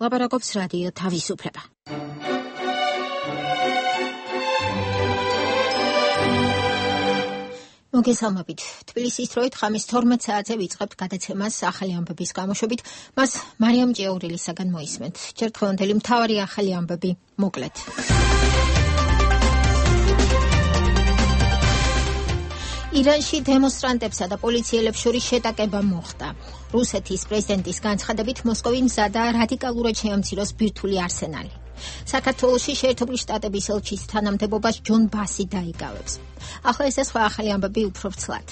ლაპარაკობს რადიო თავისუფლება. მოგესალმებით. თბილისის დროით ხამის 12 საათზე ვიწყებთ გადაცემას ახალი ამბების გამოშვებით. მას მარიამ ჭიაურელისაგან მოისმენთ. ჯერ დღევანდელი მთავარი ახალი ამბები მოკლედ. ირანში დემონსტრანტებსა და პოლიციელებს შორის შეტაკება მოხდა. რუსეთის პრეზიდენტის განცხადებით მოსკოვი მზადაა რადიკალურად შეამციროს ბირთვული არსენალი. საქართველოში შეერთებული შტატების ელჩის თანამდებობას ჯონ ბასი დაიკავებს. ახლა ეს სხვა ახალი ამბები უფრო ვრცლად.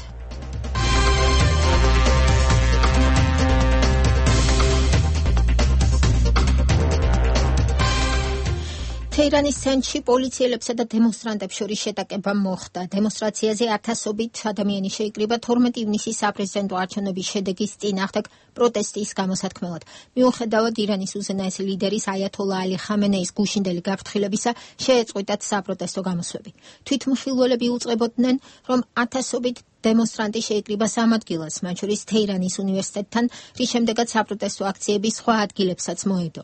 თეირანის ცენტრში პოლიციელებსა და დემონსტრანტებს შორის შეტაკება მოხდა. დემონსტრაციაზე ათასობით ადამიანი შეიკრიბა 12 ივნისის საპრეზიდენტო არჩევნების შედეგის წინააღმდეგ პროტესტის გამოსათქმელად. მიუხედავად ირანის უზენაესი ლიდერის აიათოლა ალი ხამენეის გუშინდელი გაფრთხილებისა, შეეწყვიტათ საპროტესტო გამოსვლები. თვითმხილველები უწყებოდნენ, რომ ათასობით დემონსტრანტი შეიკრიბა სამ ადგილას, მათ შორის თეირანის უნივერსიტეტთან, რის შემდეგაც საპროტესტო აქციები სხვა ადგილებსაც მოედო.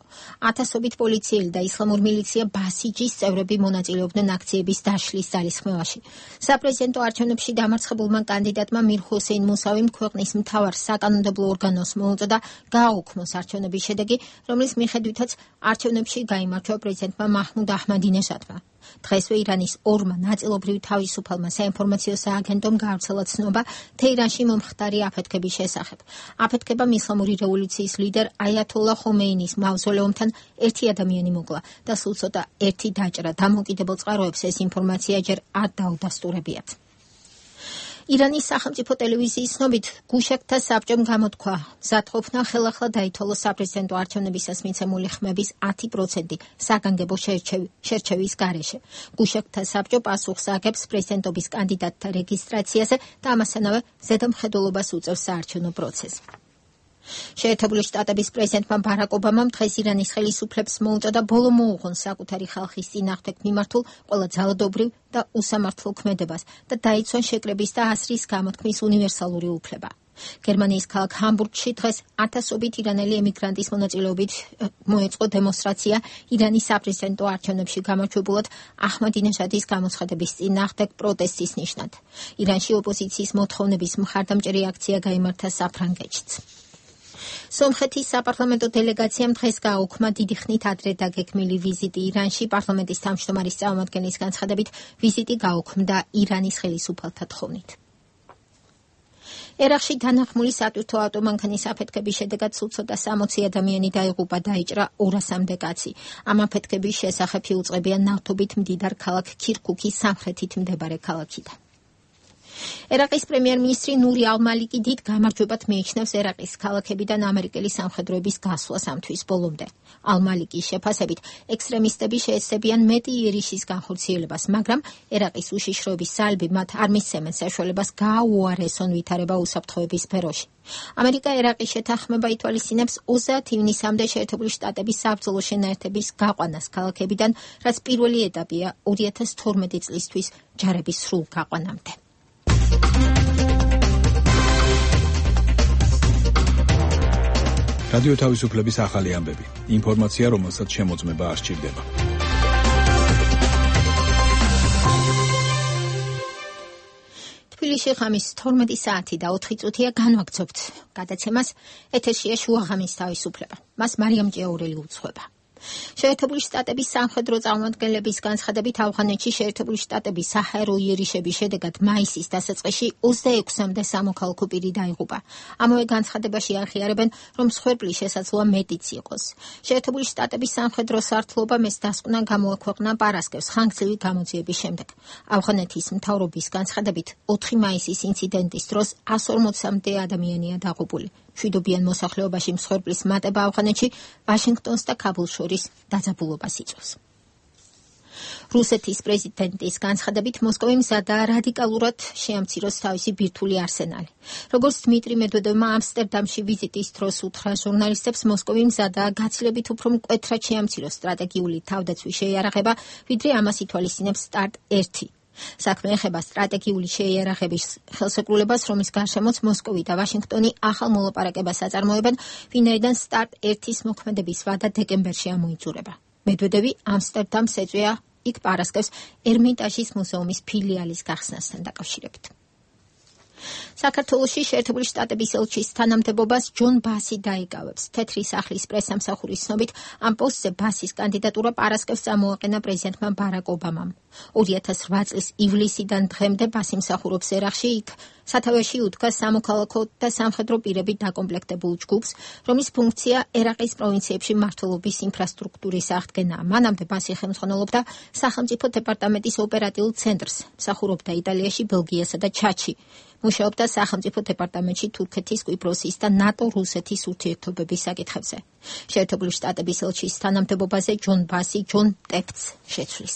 ათასობით პოლიციელი და ისლამური მილიცია ბასიჯის წევრები მონაწილეობდნენ აქციების დაშლის ძალისხმევაში. საპრეზიდენტო არჩევნებში დამარცხებულმა კანდიდატმა მირ ჰუსეინ მუსავიმ ქვეყნის მთავარ საკანონმდებლო ორგანოს მოუწოდა გააუქმოს არჩევნების შედეგი, რომლის მიხედვითაც არჩევნებში გაიმარჯვა პრეზიდენტმა მაჰმუდ აჰმადინეჟადმა. დღესვე ირანის ორმა ნაწილობრივ თავისუფალმა საინფორმაციო სააგენტომ გაავრცელა ცნობა თეირანში მომხდარი აფეთქების შესახებ. აფეთქებამ ისლამური რევოლუციის ლიდერ აიათოლა ხომეინის მავზოლეუმთან ერთი ადამიანი მოკლა და სულ ცოტა ერთი დაჭრა. დამოუკიდებელ წყაროებს ეს ინფორმაცია ჯერ არ დაუდასტურებიათ. ირანის სახელმწიფო ტელევიზიის ცნობით გუშაგთა საბჭომ გამოთქვა მზადყოფნა ხელახლა დაითვალოს საპრეზიდენტო არჩევნებისას მიცემული ხმების 10% საგანგებო შერჩევის გარეშე. გუშაგთა საბჭო პასუხს აგებს პრეზიდენტობის კანდიდატთა რეგისტრაციაზე და ამასთანავე ზედამხედველობას უწევს საარჩევნო პროცესს. შეერთებული შტატების პრეზიდენტმა ბარაკ ობამამ დღეს ირანის ხელისუფლებს მოუწოდა ბოლო მოუღონ საკუთარი ხალხის წინააღმდეგ მიმართულ ყველა ძალადობრივ და უსამართლო ქმედებას და დაიცვან შეკრების და ასრის გამოთქმის უნივერსალური უფლება. გერმანიის ქალაქ ჰამბურგში დღეს ათასობით ირანელი ემიგრანტის მონაწილეობით მოეწყო დემონსტრაცია ირანის საპრეზიდენტო არჩევნებში გამარჯვებულად აჰმადინეჟადის გამოცხადების წინააღმდეგ პროტესტის ნიშნად. ირანში ოპოზიციის მოთხოვნების მხარდამჭერი აქცია გაიმართა საფრანგეთშიც. სომხეთის საპარლამენტო დელეგაციამ დღეს გააუქმა დიდი ხნით ადრე დაგეგმილი ვიზიტი ირანში. პარლამენტის თავმჯდომარის წარმომადგენლის განცხადებით ვიზიტი გააუქმდა ირანის ხელისუფალთა თხოვნით. ერაყში დანახმული სატვირთო ავტომანქანის აფეთქების შედეგად სულ ცოტა 60 ადამიანი დაიღუპა, დაიჭრა 200-მდე კაცი. ამ აფეთქების შესახებ იუწყებიან ნავთობით მდიდარ ქალაქ ქირქუქის სამხრეთით მდებარე ქალაქიდან. ერაყის პრემიერ-მინისტრი ნური ალ-მალიკი დიდ გამარჯვებად მიიჩნევს ერაყის ქალაქებიდან ამერიკელი სამხედროების გასვლას ამ თვის ბოლომდე. ალ-მალიკის შეფასებით, ექსტრემისტები შეეცდებიან მეტი იერიშის განხორციელებას, მაგრამ ერაყის უშიშროების ძალები მათ არ მისცემენ საშუალებას გააუარესონ ვითარება უსაფრთხოების სფეროში. ამერიკა ერაყის შეთანხმება ითვალისწინებს 30 ივნისამდე შეერთებული შტატების საბრძოლო შენაერთების გაყვანას ქალაქებიდან, რაც პირველი ეტაპია 2012 წლისთვის ჯარების სრულ გაყვანამდე. რადიო თავისუფლების ახალი ამბები. ინფორმაცია, რომელსაც შემოწმება არ სჭირდება. თბილისში ხამის 12 საათი და 4 წუთია განვაგრძობთ გადაცემას. ეთერშია შუაღამის თავისუფლება. მას მარიამ ჭიაურელი უძღვება. შეერთებული შტატების სამხედრო წარმომადგენლების განცხადებით ავღანეთში შეერთებული შტატების საჰაერო იერიშების შედეგად მაისის დასაწყისში 26-მდე სამოქალაქო პირი დაიღუპა. ამავე განცხადებაში აღიარებენ, რომ მსხვერპლის შესაძლოა მეტიც იყოს. შეერთებული შტატების სამხედრო სართულობამ ეს დასკვნა გამოაქვეყნა პარასკევს ხანგრძლივი გამოძიების შემდეგ. ავღანეთის მთავრობის განცხადებით 4 მაისის ინციდენტის დროს 140-მდე ადამიანია დაღუპული. მშვიდობიან მოსახლეობაში მსხვერპლის მატება ავღანეთში ვაშინგტონს და ქაბულს შორის დაძაბულობას იწვევს. რუსეთის პრეზიდენტის განცხადებით მოსკოვი მზადაა რადიკალურად შეამციროს თავისი ბირთვული არსენალი. როგორც დმიტრი მედვედევმა ამსტერდამში ვიზიტის დროს უთხრა ჟურნალისტებს, მოსკოვი მზადაა გაცილებით უფრო მკვეთრად შეამციროს სტრატეგიული თავდაცვის შეიარაღება, ვიდრე ამას ითვალისწინებს სტარტ 1 საქმე ეხება სტრატეგიული შეიარაღების ხელშეკრულებას, რომლის გარშემოც მოსკოვი და ვაშინგტონი ახალ მოლაპარაკებას აწარმოებენ, ვინაიდან სტარტ 1-ის მოქმედების ვადა დეკემბერში ამოიწურება. მედვედევი ამსტერდამს ეწვია იქ პარასკევს ერმიტაჟის მუზეუმის ფილიალის გახსნასთან დაკავშირებით. საქართველოში შეერთებული შტატების ელჩის თანამდებობას ჯონ ბასი დაიკავებს. თეთრი სახლის პრესამსახურის ცნობით, ამ პოსტზე ბასის კანდიდატურა პარასკევს წამოაყენა პრეზიდენტმა ბარაკ ობამამ. 2008 წლის ივლისიდან დღემდე ბასი მსახურობს ერაყში, იქ სათავეში უდგა სამოქალაქო და სამხედრო პირებით დაკომპლექტებულ ჯგუფს, რომლის ფუნქცია ერაყის პროვინციებში მმართველობის ინფრასტრუქტურის აღდგენაა. მანამდე ბასი ხელმძღვანელობდა სახელმწიფო დეპარტამენტის ოპერატიულ ცენტრს, მსახურობდა იტალიაში, ბელგიასა და ჩადში. მუშაობდა სახელმწიფო დეპარტამენტში თურქეთის, კვიპროსის და ნატო-რუსეთის ურთიერთობების საკითხებზე. შეერთებული შტატების ელჩის თანამდებობაზე ჯონ ბასი ჯონ ტეფტს შეცვლის.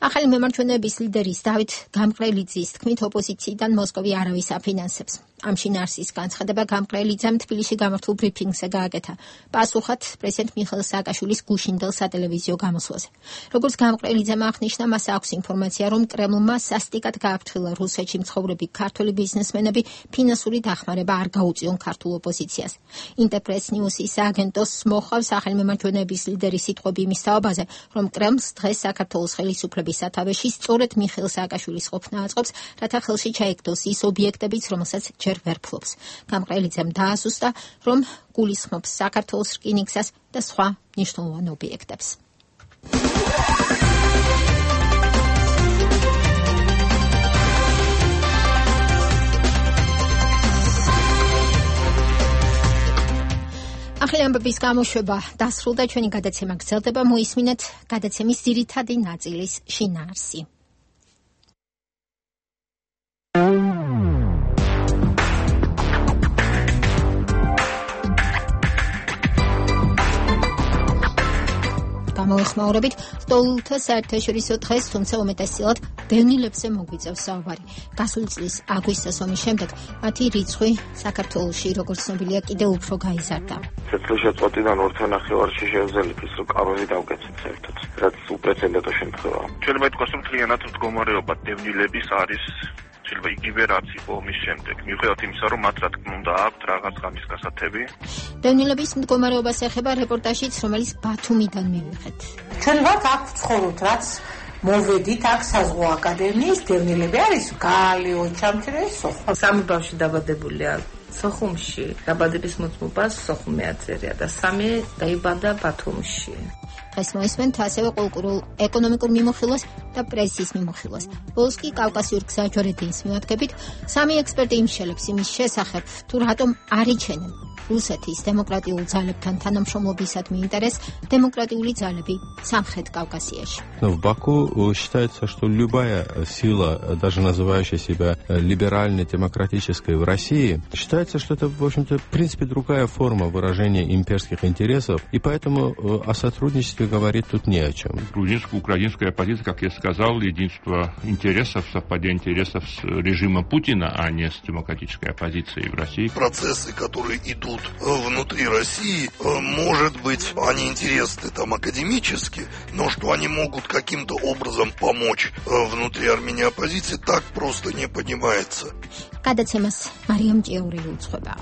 ახალი მემარჯვენეების ლიდერის დავით გამყრელიძის თქმით, ოპოზიციიდან მოსკოვი არავის აფინანსებს. ამ შინაარსის განცხადება გამყრელიძემ თბილისში გამართულ ბრიფინგზე გააკეთა, პასუხად პრეზიდენტ მიხეილ სააკაშვილის გუშინდელ სატელევიზიო გამოსვლაზე. როგორც გამყრელიძემ აღნიშნა, მას აქვს ინფორმაცია, რომ კრემლმა სასტიკად გააფრთხილა რუსეთში მცხოვრები ქართველი ბიზნესმენები ფინანსური დახმარება არ გაუწიონ ქართულ ოპოზიციას. ინტერპრეს ნიუსის სააგენტოს მოხავს ახალი მემარჯვენეების ლიდერის სიტყვები იმის თაობაზე, რომ კრემლს დღეს საქართველოს ხელისუფლების სათავეში სწორედ მიხეილ სააკაშვილის ყოფნა აწყობს, რათა ხელში ჩაიგდოს ის ობიექტებიც, რომელსაც ჯერ ვერ ფლობს. გამყრელიძემ დაასუსტა, რომ გულისხმობს საქართველოს რკინიგზას და სხვა მნიშვნელოვან ობიექტებს. ახალი ამბების გამოშვება დასრულდა, ჩვენი გადაცემა გრძელდება, მოისმინეთ გადაცემის ძირითადი ნაწილის შინაარსი. გამოეხმაურებით ლტოლვილთა საერთაშორისო დღეს, თუმცა უმეტესწილად დევნილებზე მოგვიწევს საუბარი. გასული წლის აგვისტოს ომის შემდეგ მათი რიცხვი საქართველოში, როგორც ცნობილია, კიდევ უფრო გაიზარდა. წელიწადიდან 2.5-ში შევძელით ის, რომ კაბელი დავკეთეთ საერთოდ, რაც უპრეცედენტო შემთხვევაა. შეიძლება ითქვას, რომ მთლიანად მდგომარეობა დევნილების არის შეიძლება იგივე რაც იყო ომის შემდეგ. მიუხედავად იმისა, რომ მათ რა თქმა უნდა აქვთ რაღაც ღამის გასათები. დევნილების მდგომარეობას ეხება რეპორტაჟიც, რომელიც ბათუმიდან მივიღეთ. ჩვენ ვართ აქ ვცხოვრობთ, რაც მოვედით აქ საზღვაო აკადემიის დევნილები არის გალი, ოჩამჩრე, სოხუმ. სამი ბავშვი დაბადებულია სოხუმში, დაბადების მოწმობა სოხუმი აწერია და სამი დაიბადა ბათუმში. დღეს მოისმენთ ასევე კულტურულ ეკონომიკურ მიმოხილვას და პრესის მიმოხილვას. ბოლოს კი კავკასიურ გზაჯვარედინს მივადგებით, სამი ექსპერტი იმშელებს იმის შესახებ, თუ რატომ არ იჩენენ რუსეთის დემოკრატიულ ძალებთან თანამშრომლობისადმი ინტერესს демократиули ძალები სამხრეთ კავკასიაში. В Баку считается, что любая сила, даже называющая себя либеральной, демократической в России, считается, что это, в общем-то, в принципе, другая форма выражения имперских интересов, и поэтому о сотрудничестве говорить тут не о чем. Грузинско-украинская оппозиция, как я сказал, единство интересов, совпадение интересов с режимом Путина, а не с демократической оппозицией в России. Процессы, которые идут внутри России, может быть, они интересны там академически, но что они могут каким-то образом помочь внутри Армении оппозиции, так просто не понимается. გადაცემას მარიამ ჭიაურელი უძღვება.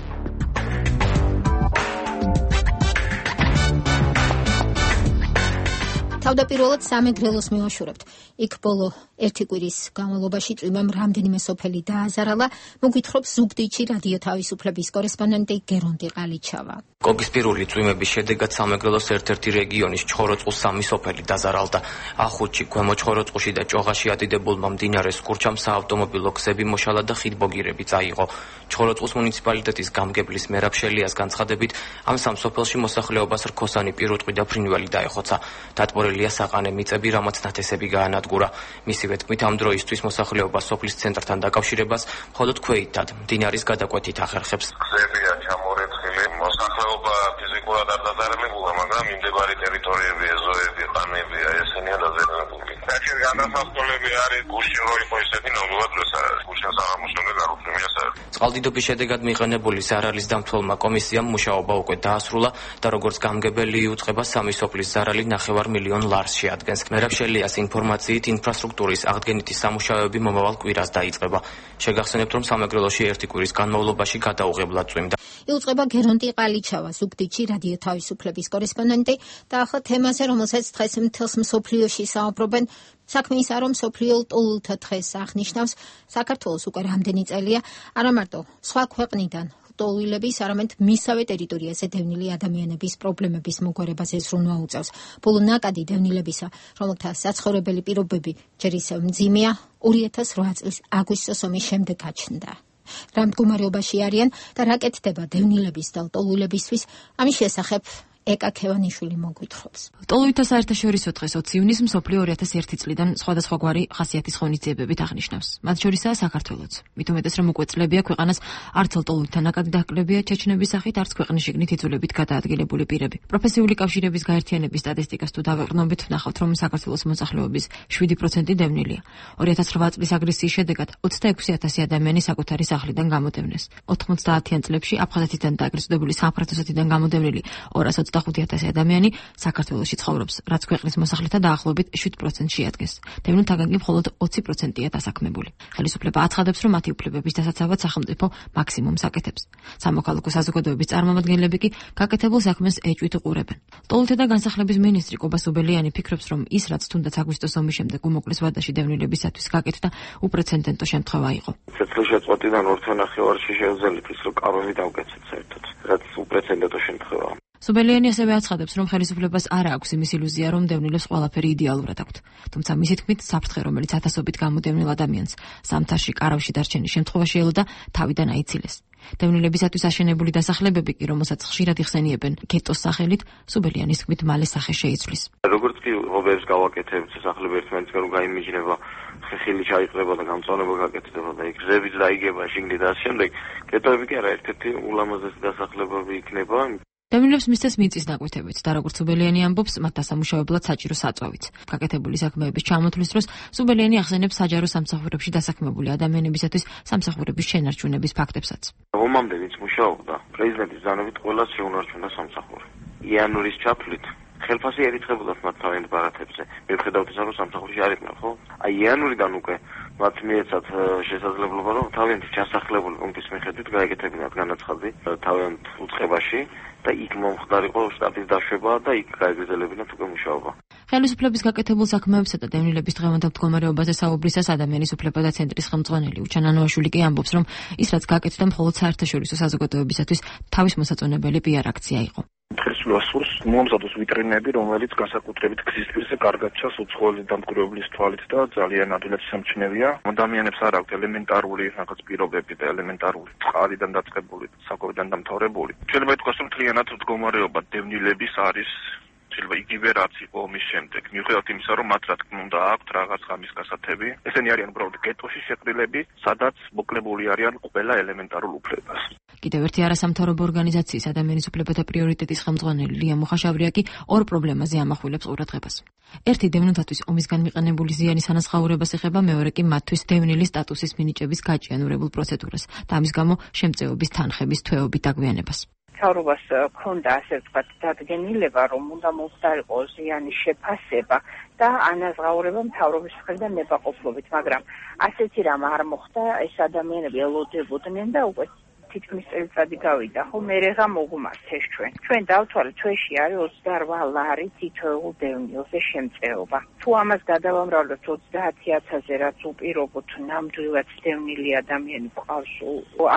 თავდაპირველად სამეგრელოს მივაშურებთ. იქ ბოლო ერთი კვირის განმავლობაში წვიმამ რამდენიმე სოფელი დააზარალა, მოგვითხრობს ზუგდიდში რადიო თავისუფლების კორესპონდენტი გერონდი ყალიჩავა. კოგისპირული წვიმების შედეგად სამეგრელოს ერთ-ერთი რეგიონის ჩხოროწყუს სამი სოფელი დაზარალდა. ახუთში, ქვემო ჩხოროწყუში და ჭოღაში ადიდებულმა მდინარეს კურჩამ საავტომობილო გზები მოშალა და ხიდბოგირები წაიღო. ჩხოროწყუს მუნიციპალიტეტის გამგებლის მერაბ შელიას განცხადებით, ამ სამ სოფელში მოსახლეობას რქოსანი პირუტყვი და ფრინველი დაეხოცა. დატბორილია საყანე მიწები, რამაც ნათესები გაანადგურა. მისივე თქმით, ამ დროისთვის მოსახლეობა სოფლის ცენტრთან დაკავშირებას მხოლოდ ქვეითად მდინარის გადაკვეთით ახერხებს. გზებია ჩამორეცხილი, მოსახლეობა ფიზიკურად არ დაზარალებულა, მაგრამ მიმდებარე ტერიტორიები, ეზოები, ყანებია, ესენია დაზარალებული. საჭირო განსასწორებელი არის გუშინ როი ხო ისეთი ნორმალურად როს არის გუშინ საღამოსამდე გარუხმია საერთოდ. წყალდიდობის შედეგად მიღებული ზარალის დამცველმა კომისიამ მუშაობა უკვე დაასრულა და როგორც გამგებელი იუწყება სამი სოფლის ზარალი 9 მილიონ ლარს შეადგენს. მერაბშელიას ინფორმაციით ინფრასტრუქტურის აღდგენითი სამუშაოები მომავალ კვირას დაიწყება. შეგახსენებთ, რომ სამეგრელოში ერთი კვირის განმავლობაში გადაუღებლად წვიმდა. იუწყება გერონტი ყალიჩავა, ზუგდიდში რადიო თავისუფლების კორესპონდენტი და ახლა თემაზე, რომელსაც დღეს მთელს მსოფლიოში საუბრობენ. საქმე ისაა, რომ მსოფლიო ლტოლვილთა დღეს აღნიშნავს საქართველოს უკვე რამდენი წელია, არა მარტო სხვა ქვეყნიდან ლტოლვილების, არამედ მისავე ტერიტორიაზე დევნილი ადამიანების პრობლემების მოგვარებაზე ზრუნვა უწევს. ბოლო ნაკადი დევნილებისა, რომელთა საცხოვრებელი პირობები ჯერ ისევ მძიმეა, 2008 წლის აგვისტოს ომის შემდეგ გაჩნდა. რა მდგომარეობაში არიან და რა კეთდება დევნილების და ლტოლვილებისთვის, ამის შესახებ ეკა ქევანიშვილი მოგვითხრობს. ლტოლვილთა საერთაშორისო დღეს 20 ივნისს მსოფლიო 2001 წლიდან სხვადასხვაგვარი ხასიათის ღონისძიებებით აღნიშნავს. მათ შორისაა საქართველოც. მით უმეტეს, რომ უკვე წლებია ქვეყანას არც ლტოლვილთა ნაკადი დააკლებია ჩეჩნების სახით, არც ქვეყნის შიგნით იძულებით გადაადგილებული პირები. პროფესიული კავშირების გაერთიანების სტატისტიკას თუ დავეყრდნობით, ვნახავთ, რომ საქართველოს მოსახლეობის 7% დევნილია. 2008 წლის აგრესიის შედეგად 26,000 ადამიანი საკუთარი სახლიდან გამოდევნეს. 90-იან წლებში აფხაზეთიდან და აგრეთ წოდებული სამხრეთ-ოსეთიდან გამოდევნილი 225,000 ადამიანი საქართველოში ცხოვრობს, რაც ქვეყნის მოსახლეთა დაახლოებით 7% შეადგენს. დევნილთაგან კი მხოლოდ 20%-ია დასაქმებული. ხელისუფლება აცხადებს, რომ მათი უფლებების დასაცავად სახელმწიფო მაქსიმუმს აკეთებს. სამოქალაქო საზოგადოების წარმომადგენლები კი გაკეთებულ საქმეს ეჭვით უყურებენ. ლტოლვილთა და განსახლების მინისტრი კობა სუბელიანი ფიქრობს, რომ ის, რაც თუნდაც აგვისტოს ომის შემდეგ უმოკლეს ვადაში დევნილებისათვის გაკეთდა, უპრეცედენტო შემთხვევა იყო. წელიწადიდან 2.5 შევძელით ის, რომ კარვები დავკეთეთ საერთოდ, რაც უპრეცედენტო შემთხვევაა. სუბელიანი ასევე აცხადებს, რომ ხელისუფლებას არ აქვს იმის ილუზია, რომ დევნილებს ყველაფერი იდეალურად აქვთ. თუმცა მისი თქმით, საფრთხე, რომელიც ათასობით გამოდევნილ ადამიანს ზამთარში კარავში დარჩენის შემთხვევაში ელოდა, თავიდან აიცილეს. დევნილებისათვის აშენებული დასახლებები კი, რომელსაც ხშირად იხსენიებენ გეტოს სახელით, სუბელიანის თქმით, მალე სახე შეიცვლის. როგორც კი ღობეებს გავაკეთებთ, სასახლე ერთმანეთისგან რომ გაიმიჯნება, ხილი ჩაიყრება და გამწვანება გაკეთდება და იქ გზებიც დაიგება შიგნით და შემდეგ, გეტოები კი არა ერთ-ერთი ულამაზესი დასახლებები იქნება. დევნილებს მისცეს მიწის ნაკვეთებიც და როგორც სუბელიანი ამბობს, მათ დასამუშავებლად საჭირო საწვავიც. გაკეთებული საქმეების ჩამოთვლის დროს სუბელიანი ახსენებს საჯარო სამსახურებში დასაქმებული ადამიანებისათვის სამსახურების შენარჩუნების ფაქტებსაც. ომამდე ვინც მუშაობდა, პრეზიდენტის ბრძანებით ყველას შეუნარჩუნდა სამსახური. იანვრის ჩათვლით ხელფასი ერიცხებოდათ მათ თავიანთ ბარათებზე. მიუხედავად ისა, რომ სამსახურში არ იყვნენ, ხო? აი იანვრიდან უკვე მათ მიეცათ შესაძლებლობა, რომ თავიანთი ჩასახლებული პუნქტის მიხედვით გაეკეთებინათ განაცხადი თავიანთ უწყებაში და იქ მომხდარიყო შტატის დაშვება და იქ გაეგრძელებინათ უკვე მუშაობა. ხელისუფლების გაკეთებულ საქმეებსა და დევნილების დღევანდელ მდგომარეობაზე საუბრისას ადამიანის უფლებათა ცენტრის ხელმძღვანელი უჩან ანუაშვილი კი ამბობს, რომ ის რაც გაკეთდა მხოლოდ საერთაშორისო საზოგადოებისათვის თავის მოსაწონებელი პიარ აქცია იყო. დღეს ვასურს მომზადოს ვიტრინები, რომელიც განსაკუთრებით გზის პირზე კარგად ჩანს უცხოელი დამკვირვებლის თვალით და ძალიან ადვილად სამჩნევია. ადამიანებს არ აქვთ ელემენტარული რაღაც პირობები და ელემენტარული წყალიდან დაწყებული, საკვებიდან დამთავრებული. შეიძლება ითქვას, რომ მთლიანად მდგომარეობა დევნილების არის შეიძლება იგივე რაც იყო ომის შემდეგ. მიუხედავად იმისა, რომ მათ რა თქმა უნდა აქვთ რაღაც ღამის გასათები, ესენი არიან უბრალოდ გეტოში შეყრილები, სადაც მოკლებული არიან ყველა ელემენტარულ უფლებას. კიდევ ერთი არასამთავრობო ორგანიზაციის ადამიანის უფლებათა პრიორიტეტის ხელმძღვანელი ლია მუხაშავრია კი ორ პრობლემაზე ამახვილებს ყურადღებას. ერთი დევნილთათვის ომისგან მიყენებული ზიანის ანაზღაურებას ეხება, მეორე კი მათთვის დევნილის სტატუსის მინიჭების გაჭიანურებულ პროცედურას და ამის გამო შემწეობის თანხების თვეობით დაგვიანებას. მთავრობას ქონდა ასე ვთქვათ დადგენილება, რომ უნდა მომხდარიყო ზიანის შეფასება და ანაზღაურება მთავრობის მხრიდან ნებაყოფლობით, მაგრამ ასეთი რამ არ მოხდა, ეს ადამიანები ელოდებოდნენ და უკვე თითქმის წელიწადი გავიდა, ხო, მერეღა მოგმართეს ჩვენ. ჩვენ დავთვალეთ, ჩვენში არის 28 ლარი თითოეულ დევნილზე შემწეობა. თუ ამას გადავამრავლებთ 30,000-ზე, რაც უპირობოდ ნამდვილად დევნილი ადამიანი გვყავს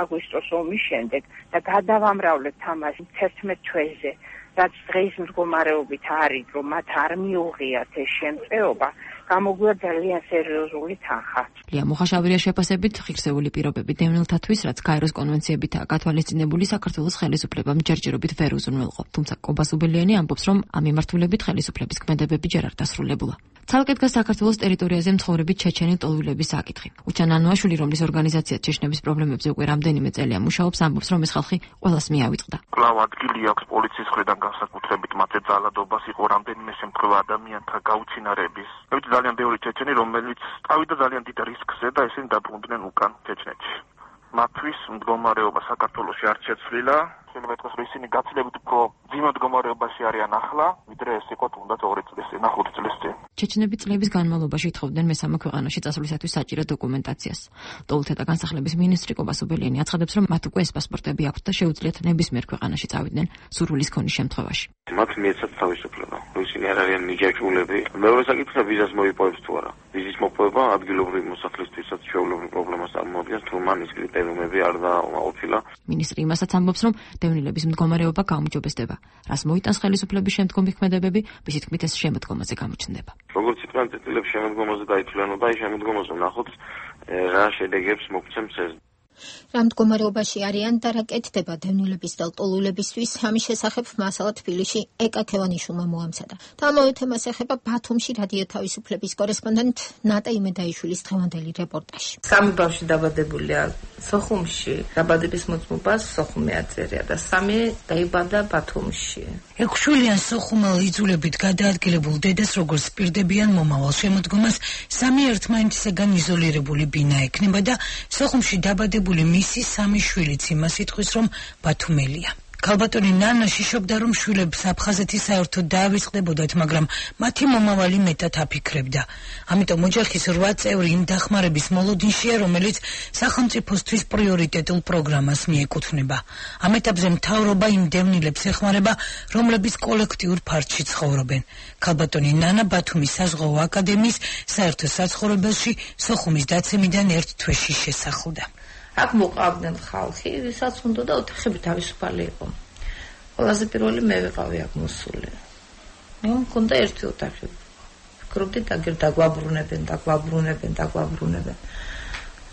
აგვისტოს ომის შემდეგ და გადავამრავლებთ ამას 11 თვეზე, რაც დღის მდგომარეობით არის, რომ მათ არ მიუღიათ ეს შემწეობა, გამოგვია ძალიან სერიოზული თანხა. ლია მუხაშავრია შეფასებით ღირსეული პირობები დევნილთათვის, რაც გაეროს კონვენციებითაა გათვალისწინებული, საქართველოს ხელისუფლებამ ჯერჯერობით ვერ უზრუნველყო. თუმცა კობა სუბელიანი ამბობს, რომ ამ მიმართულებით ხელისუფლების ქმედებები ჯერ არ დასრულებულა. ცალკე დგას საქართველოს ტერიტორიაზე მცხოვრები ჩეჩენი ტოლვილების საკითხი. უჩან ანუაშვილი, რომლის ორგანიზაცია ჩეჩნების პრობლემებზე უკვე რამდენიმე წელია მუშაობს, ამბობს, რომ ეს ხალხი ყველას მიავიწყდა. კვლავ ადგილი აქვს პოლიციის მხრიდან განსაკუთრებით მათე ძალადობას იყო რამდენიმე შემთხვევა ადამიანთა გაუჩინარების. მივიდა ძალიან ბევრი ჩეჩენი, რომელიც წავიდა ძალიან დიდ რისკზე და ესენი დაბრუნდნენ უკან ჩეჩნეთში. მათთვის მდგომარეობა საქართველოში არ შეცვლილა. შეიძლება ითქვას, რომ ისინი გაცილებით უფრო ძიმე მდგომარეობაში არიან ახლა, ვიდრე ეს იყო თუნდაც 2 წლის წინ, 5 წლის წინ. ჩეჩნები წლების განმავლობაში ითხოვდნენ მესამე ქვეყანაში წასვლისათვის საჭირო დოკუმენტაციას. ტოლთა და განსახლების მინისტრი კობასობელიანი აცხადებს, რომ მათ უკვე ეს პასპორტები აქვთ და შეუძლიათ ნებისმიერ ქვეყანაში წავიდნენ სურვილის ქონის შემთხვევაში. მათ მიეცათ თავისუფლება. ისინი არ არიან ნიჭაჭულები. მეორე საკითხია, ვიზას მოიპოვებს თუ არა. ვიზის მოპოვება ადგილობრივი მოსახლისთვისაც ჩვეულებრივ პრობლემას წარმოადგენს, თუ მან ის კრიტერიუმები არ დააყოფილა. მინისტრი იმასაც ამბობს, რომ დევნილების მდგომარეობა გაუმჯობესდება. რას მოიტანს ხელისუფლების შემდგომი ქმედებები, მისი თქმით ეს შემოდგომაზე გამოჩნდება. როგორც იყვნენ წელიწადებში შემოდგომაზე დაითვლებოდა, აი შემოდგომაზე ნახოთ რა შედეგებს მოგცემს ეს. რა მდგომარეობაში არიან და რა კეთდება დევნილების და ტოლულებისთვის, ამის შესახებ მასალა თბილისში ეკა ქევანიშვილმა მოამზადა. და ამავე თემას ეხება ბათუმში რადიო თავისუფლების კორესპონდენტ ნატა იმედაიშვილის დღევანდელი რეპორტაჟი. სამი ბავშვი დაბადებულია სოხუმში, დაბადების მოწმობა სოხუმი აწერია და სამი დაიბადა ბათუმში. 6 შვილიან სოხუმელ იძულებით გადაადგილებულ დედას როგორც პირდებიან მომავალ შემოდგომას, სამი ერთმანეთისაგან იზოლირებული ბინა ექნება და სოხუმში დაბადებული მისი სამი შვილიც იმას იტყვის, რომ ბათუმელია. ქალბატონი ნანა შიშობდა, რომ შვილებს აფხაზეთი საერთოდ დაავიწყდებოდათ, მაგრამ მათი მომავალი მეტად აფიქრებდა. ამიტომ ოჯახის 8 წევრი იმ დახმარების მოლოდინშია, რომელიც სახელმწიფოსთვის პრიორიტეტულ პროგრამას მიეკუთვნება. ამ ეტაპზე მთავრობა იმ დევნილებს ეხმარება, რომლებიც კოლექტიურ ფარდში ცხოვრობენ. ქალბატონი ნანა ბათუმის საზღვაო აკადემიის საერთო საცხოვრებელში სოხუმის დაცემიდან 1 თვეში შესახლდა. აქ მოყავდნენ ხალხი, ვისაც უნდა და ოთახები თავისუფალი იყო. ყველაზე პირველი მე ვიყავი აქ მოსული. მქონდა ერთი ოთახი. ვფიქრობდი დაგვაბრუნებენ.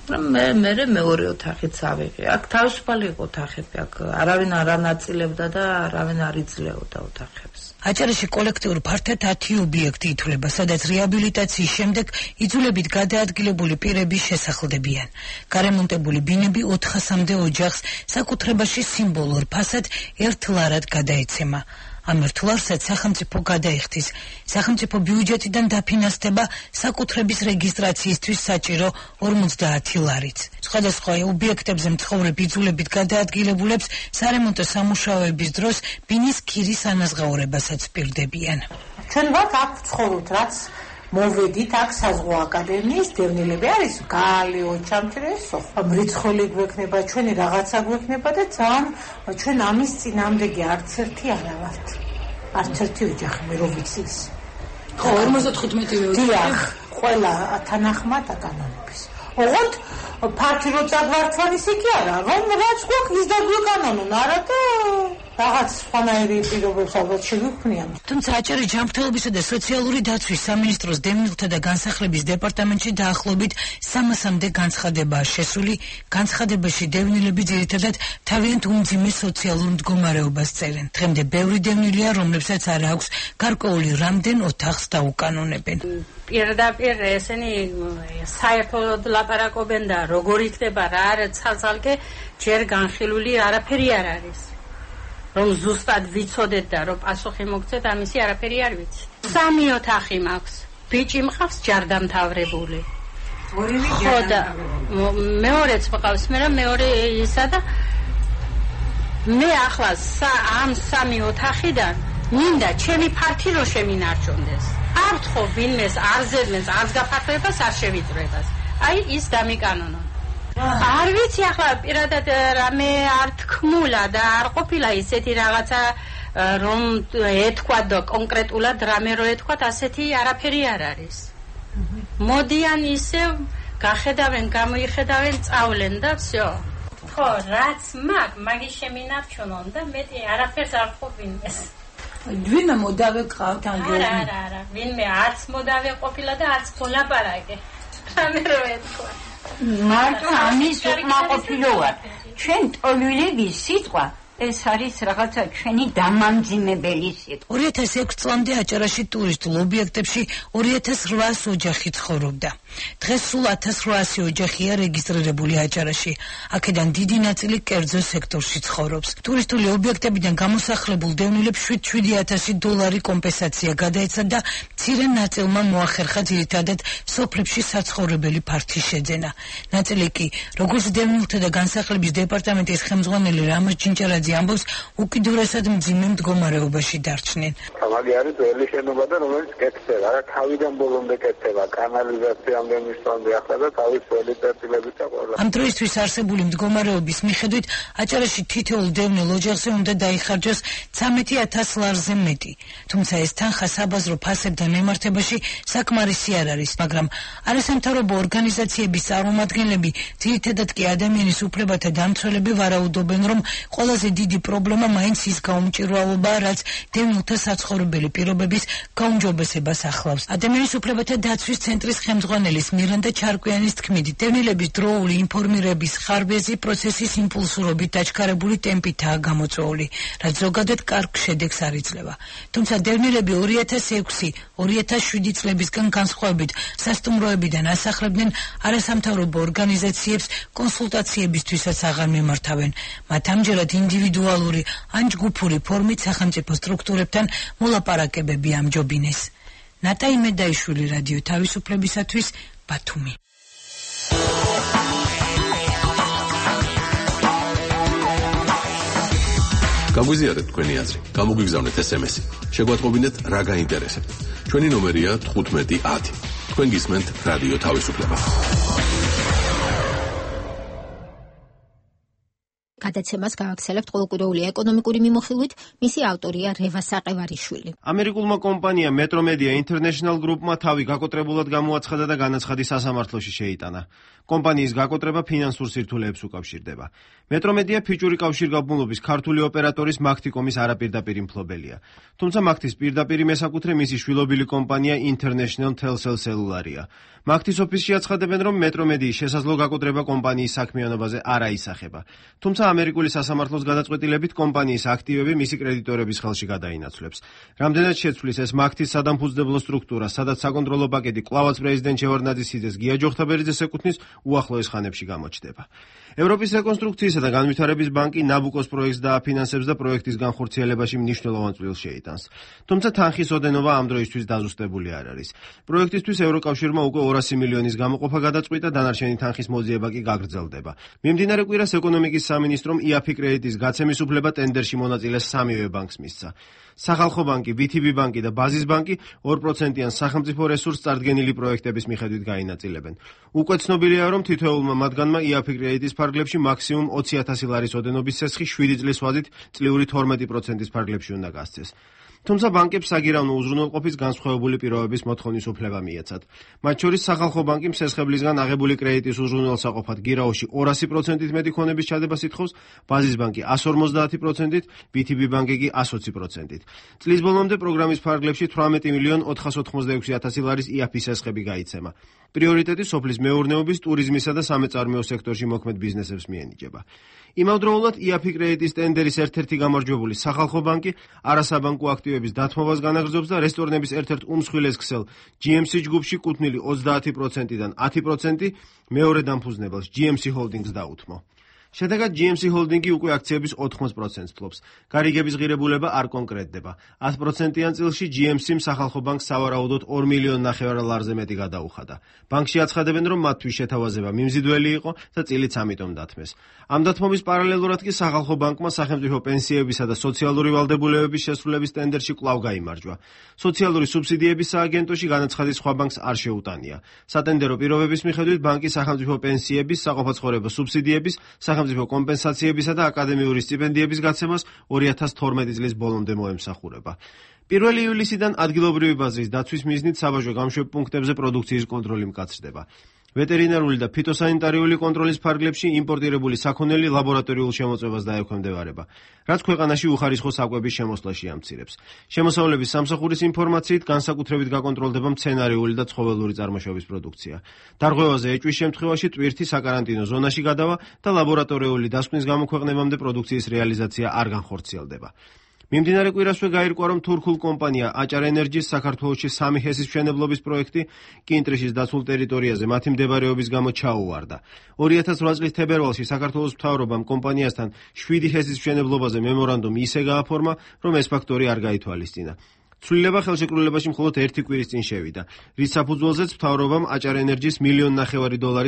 მე მეორე ოთახიც ავიღე. აქ თავისუფალი იყო ოთახები, აქ არავინ არ ანაწილებდა და არავინ არ იძლეოდა ოთახებს. აჭარაში კოლექტიურ ფართად 10 ობიექტი ითვლება, სადაც რეაბილიტაციის შემდეგ იძულებით გადაადგილებული პირები შესახლდებიან. გარემონტებული ბინები 400-მდე ოჯახს საკუთრებაში სიმბოლურ ფასად ერთ ლარად გადაეცემა. ამ ერთ ლარსაც სახელმწიფო გადაიხდის. სახელმწიფო ბიუჯეტიდან დაფინანსდება საკუთრების რეგისტრაციისთვის საჭირო 50 ლარიც. სხვადასხვა ობიექტებზე მცხოვრებ იძულებით გადაადგილებულებს სარემონტო სამუშაოების დროს ბინის ქირის ანაზღაურებასაც პირდებიან. ჩვენ ვართ აქ ვცხოვრობთ, რაც მოვედით აქ საზღვაო აკადემიის დევნილები არის გალი, ოჩამჭრე, მრიცხული გვექნება, ჩვენი რაღაცა გვექნება და ძალიან ჩვენ ამის წინამდე არც ერთი არა ვართ. არც ერთი ოჯახი მე რო ვიცის. ხო, 55 ოჯახი. დიახ, ყველა თანახმად აკანონების. ოღონდ ფართი რო წაგვარცან ისე კი არა, რომ რაც გვაქვს ის დაგვეკანონონ, არა და რაღაც სხვანაირი პირობებს ალბათ შეგვიქმნიან. თუმცა აჭარის ჯანმრთელობისა და სოციალური დაცვის სამინისტროს დევნილთა და განსახლების დეპარტამენტში დაახლოებით 300-მდე განცხადებაა შესული. განცხადებაში დევნილები ძირითადად თავიანთ უმძიმე სოციალურ მდგომარეობას წერენ. დღემდე ბევრი დევნილია, რომლებსაც არ აქვს გარკვეული რამდენ ოთახს დაუკანონებენ. პირდაპირ ესენი საერთოდ ლაპარაკობენ და როგორ იქნება რა არის ცალ-ცალკე ჯერ განხილული არაფერი არ არის. რომ ზუსტად ვიცოდეთ და რომ პასუხი მოგცეთ, ამისი არაფერი არ ვიცი. 3 ოთახი მაქვს. ბიჭი მყავს ჯარდამთავრებული. ხო და მეორეც მყავს, მეორე ისა და მე ახლა ამ 3 ოთახიდან მინდა ჩემი ფართი რო შემინარჩუნდეს. არ თქო ვინმეს არ ზედმეს არც გაფართოებას არ შევიწრებას. აი ის დამიკანონო. არ ვიცი ახლა პირადად რამე არ თქმულა და არ ყოფილა ისეთი რაღაცა რომ ეთქვა და კონკრეტულად რამე რო ეთქვა, ასეთი არაფერი არ არის. მოდიან ისე გახედავენ, გამოიხედავენ, წავლენ და всё. ხო, რაც მაგის შემინარჩუნონ და მეტი არაფერს არ ყოფინეს. ვინმე მოდავე ყავთ ანგელი? არა, ვინმე არც მოდავე ყოფილა და არც გოლაპარაკე. რამე რო ეთქვა. მარტო ამის უკმაყოფილოა. ჩვენ ტოლვილების სიტყვა ეს არის რაღაცა ჩვენი დამამძიმებელი სიტყვა. 2006 წლამდე აჭარაში ტურისტულ ობიექტებში 2800 ოჯახი ცხოვრობდა. დღეს სულ 1800 ოჯახია რეგისტრირებული აჭარაში. აქედან დიდი ნაწილი კერძო სექტორში ცხოვრობს. ტურისტული ობიექტებიდან გამოსახლებულ დევნილებს $7,000 კომპენსაცია გადაეცა და მცირე ნაწილმა მოახერხა ძირითადად სოფლებში საცხოვრებელი ფართის შეძენა. ნაწილი კი, როგორც დევნილთა და განსახლების დეპარტამენტის ხელმძღვანელი რამაზ ჯინჯარაძე ამბობს, უკიდურესად მძიმე მდგომარეობაში დარჩნენ. მაგ არის ძველი შენობა და რომელიც კეთდება, რა თავიდან ბოლომდე კეთდება, კანალიზაციამდე მისვამდე ახლა და თავის ძველი წერტილებით და ყველა. ამ დროისთვის არსებული მდგომარეობის მიხედვით აჭარაში თითოეულ დევნილ ოჯახზე უნდა დაიხარჯოს 13,000 ლარზე მეტი. თუმცა ეს თანხა საბაზრო ფასებთან მემართებაში საკმარისი არ არის, მაგრამ არასამთავრობო ორგანიზაციების წარმომადგენლები, ძირითადად კი ადამიანის უფლებათა დამცველები ვარაუდობენ, რომ ყველაზე დიდი პრობლემა მაინც ის გაუმჭირვალობაა, რაც დევნილთა საცხოვრებელი პირობების გაუმჯობესებას ახლავს. ადამიანის უფლებათა დაცვის ცენტრის ხელმძღვანელის მირანდა ჩარკვიანის თქმით, დევნილების დროული ინფორმირების ხარბეზი პროცესის იმპულსურობით დაჩქარებული ტემპითაა გამოწვეული, რაც ზოგადად კარგ შედეგს არ იძლევა. თუმცა დევნილები 2006-2007 წლებისგან განსხვავებით სასტუმროებიდან ასახლებდნენ არასამთავრობო ორგანიზაციებს კონსულტაციებისთვისაც აღარ მიმართავენ. მათ ამჯერად ინდივიდუალური ან ჯგუფური ფორმით სახელმწიფო სტრუქტურებთან მოლაპარაკებები ამჯობინეს. ნატა იმედაიშვილი, რადიო თავისუფლებისათვის, ბათუმი. გაგვიზიარეთ თქვენი აზრი, გამოგვიგზავნეთ SMS-ი. შეგვატყობინეთ რა გაინტერესებთ. ჩვენი ნომერია 1510. თქვენ გისმენთ რადიო თავისუფლება. გადაცემას გავაქცელებთ ყოველკვირეული ეკონომიკური მიმოხილვით, მისი ავტორია რევა საყევარიშვილი. ამერიკულმა კომპანია Metromedia International Group-მა თავი გაკოტრებულად გამოაცხადა და განაცხადი სასამართლოში შეიტანა. კომპანიის გაკოტრება ფინანსურ სირთულეებს უკავშირდება. Metromedia ფიჭური კავშირგაბმულობის ქართული ოპერატორის Maxticom-ის არაპირდაპირი მფლობელია. თუმცა Maxtis პირდაპირი მესაკუთრე მისი შვილობილი კომპანია International Telcel Cellular-ია. Maxtis ოფისში აცხადებენ, რომ Metromedia-ის შესაძლო გაკოტრება კომპანიის საქმიანობაზე არ აისახება. თუმცა ამერიკული სასამართლოს გადაწყვეტილებით კომპანიის აქტივები მისი კრედიტორების ხელში გადაინაცვლებს. რამდენად შეცვლის ეს Maxtis სადამფუძნებლო სტრუქტურა, სადაც საკონტროლო პაკეტი კვლავაც პრეზიდენტ შევარდნაძის გია ჯოხთაბერიძეს ეკუთვნის, უახლოეს ხანებში გამოჩნდება. ევროპის რეკონსტრუქციისა და განვითარების ბანკი ნაბუკოს პროექტს დააფინანსებს და პროექტის განხორციელებაში მნიშვნელოვან წვლილს შეიტანს. თუმცა თანხის ოდენობა ამ დროისთვის დაზუსტებული არ არის. პროექტისთვის ევროკავშირმა უკვე 200 მილიონის გამოყოფა გადაწყვიტა, დანარჩენი თანხის მოძიება კი გაგრძელდება. მიმდინარე კვირას ეკონომიკის სამინისტრომ IAFI კრედიტის გაცემის უფლება ტენდერში მონაწილეს სამივე ბანკს მისცა. სახალხო ბანკი, BTB ბანკი და ბაზის ბანკი 2%-იან სახელმწიფო რესურსს წარდგენილი პროექტების მიხედვით გაინაწილებენ. უკვე ცნობილია, რომ თითოეულმა მათგანმა IAFI კრედიტის ფარგლებში მაქსიმუმ 20,000 ლარის ოდენობის ცესხი 7 წლის ვადით წლიური 12%-ის ფარგლებში უნდა გასცეს. თუმცა ბანკებს საგირავნო უზრუნველყოფის განსხვავებული პირობების მოთხოვნის უფლება მიეცათ. მათ შორის სახალხო ბანკი მსესხებლისგან აღებული კრედიტის უზრუნველსაყოფად გირაოში 200%-ით მეტი ქონების ჩადებას ითხოვს, ბაზის ბანკი 150%-ით, BTB ბანკი კი 120%-ით. წლის ბოლომდე პროგრამის ფარგლებში 18,486,000 ლარის IAFI სესხები გაიცემა. პრიორიტეტი სოფლის მეურნეობის, ტურიზმისა და სამეწარმეო სექტორში მოქმედ ბიზნესებს მიენიჭება. იმავდროულად IAFI კრედიტის ტენდერის ერთ-ერთი გამარჯვებული სახალხო ბანკი არასაბანკო აქტივების დათმობას განაგრძობს და რესტორნების ერთ-ერთ უმსხვილეს ქსელ GMC ჯგუფში კუთვნილი 30%-დან 10% მეორე დამფუძნებელს GMC Holdings დაუთმო. შედეგად GMC Holding-ი უკვე აქციების 80%-ს ფლობს. გარიგების ღირებულება არ კონკრეტდება. 100%-იან წილში GMC-მ სახალხო ბანკს სავარაუდოდ 2,5 მილიონ ლარზე მეტი გადაუხადა. ბანკში აცხადებენ, რომ მათთვის შეთავაზება მიმზიდველი იყო და წილიც ამიტომ დათმეს. ამ დათმობის პარალელურად კი სახალხო ბანკმა სახელმწიფო პენსიებისა და სოციალური ვალდებულებების შესრულების ტენდერში კვლავ გაიმარჯვა. სოციალური სუბსიდიების სააგენტოში განაცხადი სხვა ბანკს არ შეუტანია. სატენდერო პირობების მიხედვით ბანკი სახელმწიფო პენსიების, საყოფაცხოვრებო სუბსიდიების, სახელმწიფო კომპენსაციებისა და აკადემიური სტიპენდიების გაცემას 2012 წლის ბოლომდე მოემსახურება. 1 ივლისიდან ადგილობრივი ბაზრის დაცვის მიზნით საბაჟო გამშვებ პუნქტებზე პროდუქციის კონტროლი მკაცრდება. ვეტერინარული და ფიტოსანიტარიული კონტროლის ფარგლებში იმპორტირებული საქონელი ლაბორატორიულ შემოწმებას დაექვემდებარება, რაც ქვეყანაში უხარისხო საკვების შემოსვლაში ამცირებს. შემოსავლების სამსახურის ინფორმაციით განსაკუთრებით გაკონტროლდება მცენარეული და ცხოველური წარმოშობის პროდუქცია. დარღვევაზე ეჭვის შემთხვევაში ტვირთი საკარანტინო ზონაში გადავა და ლაბორატორიული დასკვნის გამოქვეყნებამდე პროდუქციის რეალიზაცია არ განხორციელდება. მიმდინარე კვირასვე გაირკვა, რომ თურქულ კომპანია აჭარ ენერჯის საქართველოში 3 ჰესის მშენებლობის პროექტი კინტრიშის დაცულ ტერიტორიაზე მათი მდებარეობის გამო ჩაუვარდა. 2008 წლის თებერვალში საქართველოს მთავრობამ კომპანიასთან 7 ჰესის მშენებლობაზე მემორანდუმი ისე გააფორმა, რომ ეს ფაქტორი არ გაითვალისწინა. ცვლილება ხელშეკრულებაში მხოლოდ 1 კვირის წინ შევიდა, რის საფუძველზეც მთავრობამ აჭარ ენერჯის $1.5 მილიონ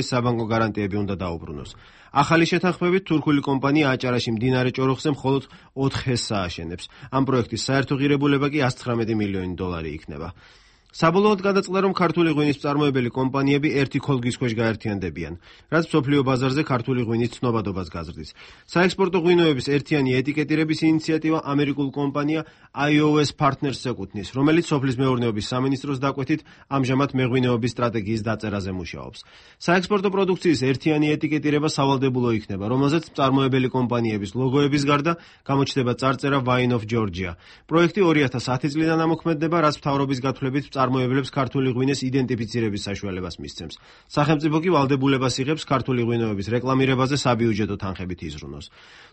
საბანკო გარანტიები უნდა დაუბრუნოს. ახალი შეთანხმებით თურქული კომპანია აჭარაში მდინარე ჭოროხზე მხოლოდ 4 ჰესს ააშენებს. ამ პროექტის საერთო ღირებულება კი $119 მილიონი იქნება. საბოლოოდ გადაწყდა, რომ ქართული ღვინის მწარმოებელი კომპანიები ერთი ქოლგის ქვეშ გაერთიანდებიან, რაც მსოფლიო ბაზარზე ქართული ღვინის ცნობადობას გაზრდის. საექსპორტო ღვინოების ერთიანი ეტიკეტირების ინიციატივა ამერიკულ კომპანია iOS Partners ეკუთვნის, რომელიც სოფლის მეურნეობის სამინისტროს დაკვეთით ამჟამად მეღვინეობის სტრატეგიის დაწერაზე მუშაობს. საექსპორტო პროდუქციის ერთიანი ეტიკეტირება სავალდებულო იქნება, რომელზეც მწარმოებელი კომპანიების ლოგოების გარდა გამოჩნდება წარწერა Wine of Georgia. პროექტი 2010 წლიდან ამოქმედდება, რაც მთავრობის გათვლებით წარმოებლებს ქართული ღვინეს იდენტიფიცირების საშუალებას მისცემს. სახელმწიფო კი ვალდებულებას იღებს ქართული ღვინოების რეკლამირებაზე საბიუჯეტო თანხებით იზრუნოს.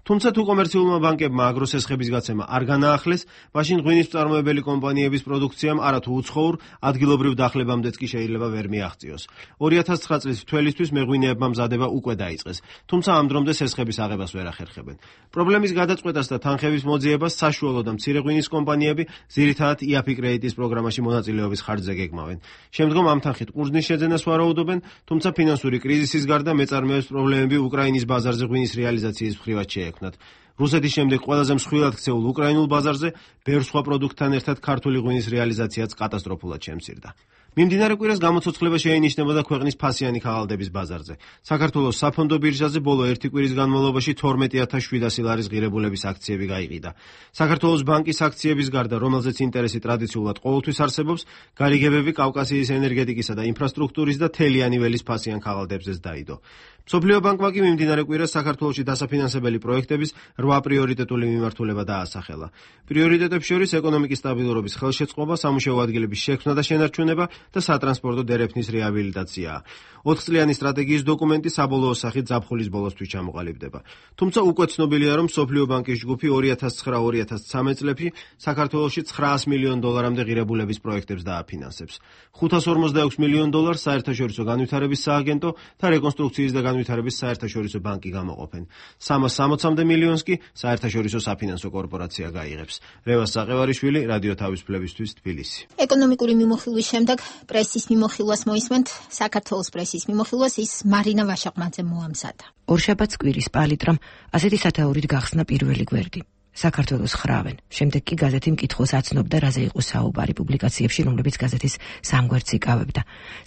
თუმცა თუ კომერციულმა ბანკებმა აგროსესხების გაცემა არ განაახლეს, მაშინ ღვინის მწარმოებელი კომპანიების პროდუქციამ არათუ უცხოურ ადგილობრივ დახლებამდეც კი შეიძლება ვერ მიაღწიოს. 2009 წლის თველისთვის მეღვინეებმა მზადება უკვე დაიწყეს, თუმცა ამ დრომდე სესხების აღებას ვერ ახერხებენ. პრობლემის გადაწყვეტას და თანხების მოძიებას საშუალო და მცირე ღვინის კომპანიები ძირითადად IAPI კრედიტის პროგრამაში მონაწილეობის ხარჯზე გეგმავენ. შემდგომ ამ თანხით ყურძნის შეძენას ვარაუდობენ, თუმცა ფინანსური კრიზისის გარდა მეწარმეებს პრობლემები უკრაინის ბაზარზე ღვინის რეალიზაციის მხრივაც შეექმნათ. რუსეთის შემდეგ ყველაზე მსხვილად ქცეულ უკრაინულ ბაზარზე ბევრ სხვა პროდუქტთან ერთად ქართული ღვინის რეალიზაციაც კატასტროფულად შემცირდა. მიმდინარე კვირას გამოცოცხლება შეინიშნებოდა ქვეყნის ფასიანი ქაღალდების ბაზარზე. საქართველოს საფონდო ბირჟაზე ბოლო 1 კვირის განმავლობაში 12,700 ლარის ღირებულების აქციები გაიყიდა. საქართველოს ბანკის აქციების გარდა, რომელზეც ინტერესი ტრადიციულად ყოველთვის არსებობს, გარიგებები კავკასიის ენერგეტიკისა და ინფრასტრუქტურის და თელიანი ველის ფასიან ქაღალდებზეც დაიდო. მსოფლიო ბანკმა კი მიმდინარე კვირას საქართველოში დასაფინანსებელი პროექტების 8 პრიორიტეტული მიმართულება დაასახელა. პრიორიტეტებს შორის ეკონომიკის სტაბილურობის ხელშეწყობა, სამუშაო ადგილების შექმნა და შენარჩუნება და სატრანსპორტო დერეფნის რეაბილიტაციაა. 4 წლიანი სტრატეგიის დოკუმენტი საბოლოო სახით ზაფხულის ბოლოსთვის ჩამოყალიბდება. თუმცა უკვე ცნობილია, რომ მსოფლიო ბანკის ჯგუფი 2009-2013 წლებში საქართველოში $900 მილიონ ღირებულების პროექტებს დააფინანსებს. $546 მილიონ საერთაშორისო განვითარების სააგენტო და რეკონსტრუქციის და განვითარების საერთაშორისო ბანკი გამოყოფენ. 360 მილიონს კი საერთაშორისო საფინანსო კორპორაცია გაიღებს. რევას საყევარიშვილი, რადიო თავისუფლებისთვის, თბილისი. ეკონომიკური მიმოხილვის შემდეგ პრესის მიმოხილვას მოისმენთ. საქართველოს პრესის მიმოხილვას ის მარინა ვაშაყმაძე მოამზადა. ორშაბათს კვირის პალიტრამ ასეთი სათაურით გახსნა პირველი გვერდი. საქართველოს ხრავენ. შემდეგ კი გაზეთი მკითხველს აცნობდა, რაზე იყო საუბარი პუბლიკაციებში, რომლებიც გაზეთის სამგვერდს იკავებდა.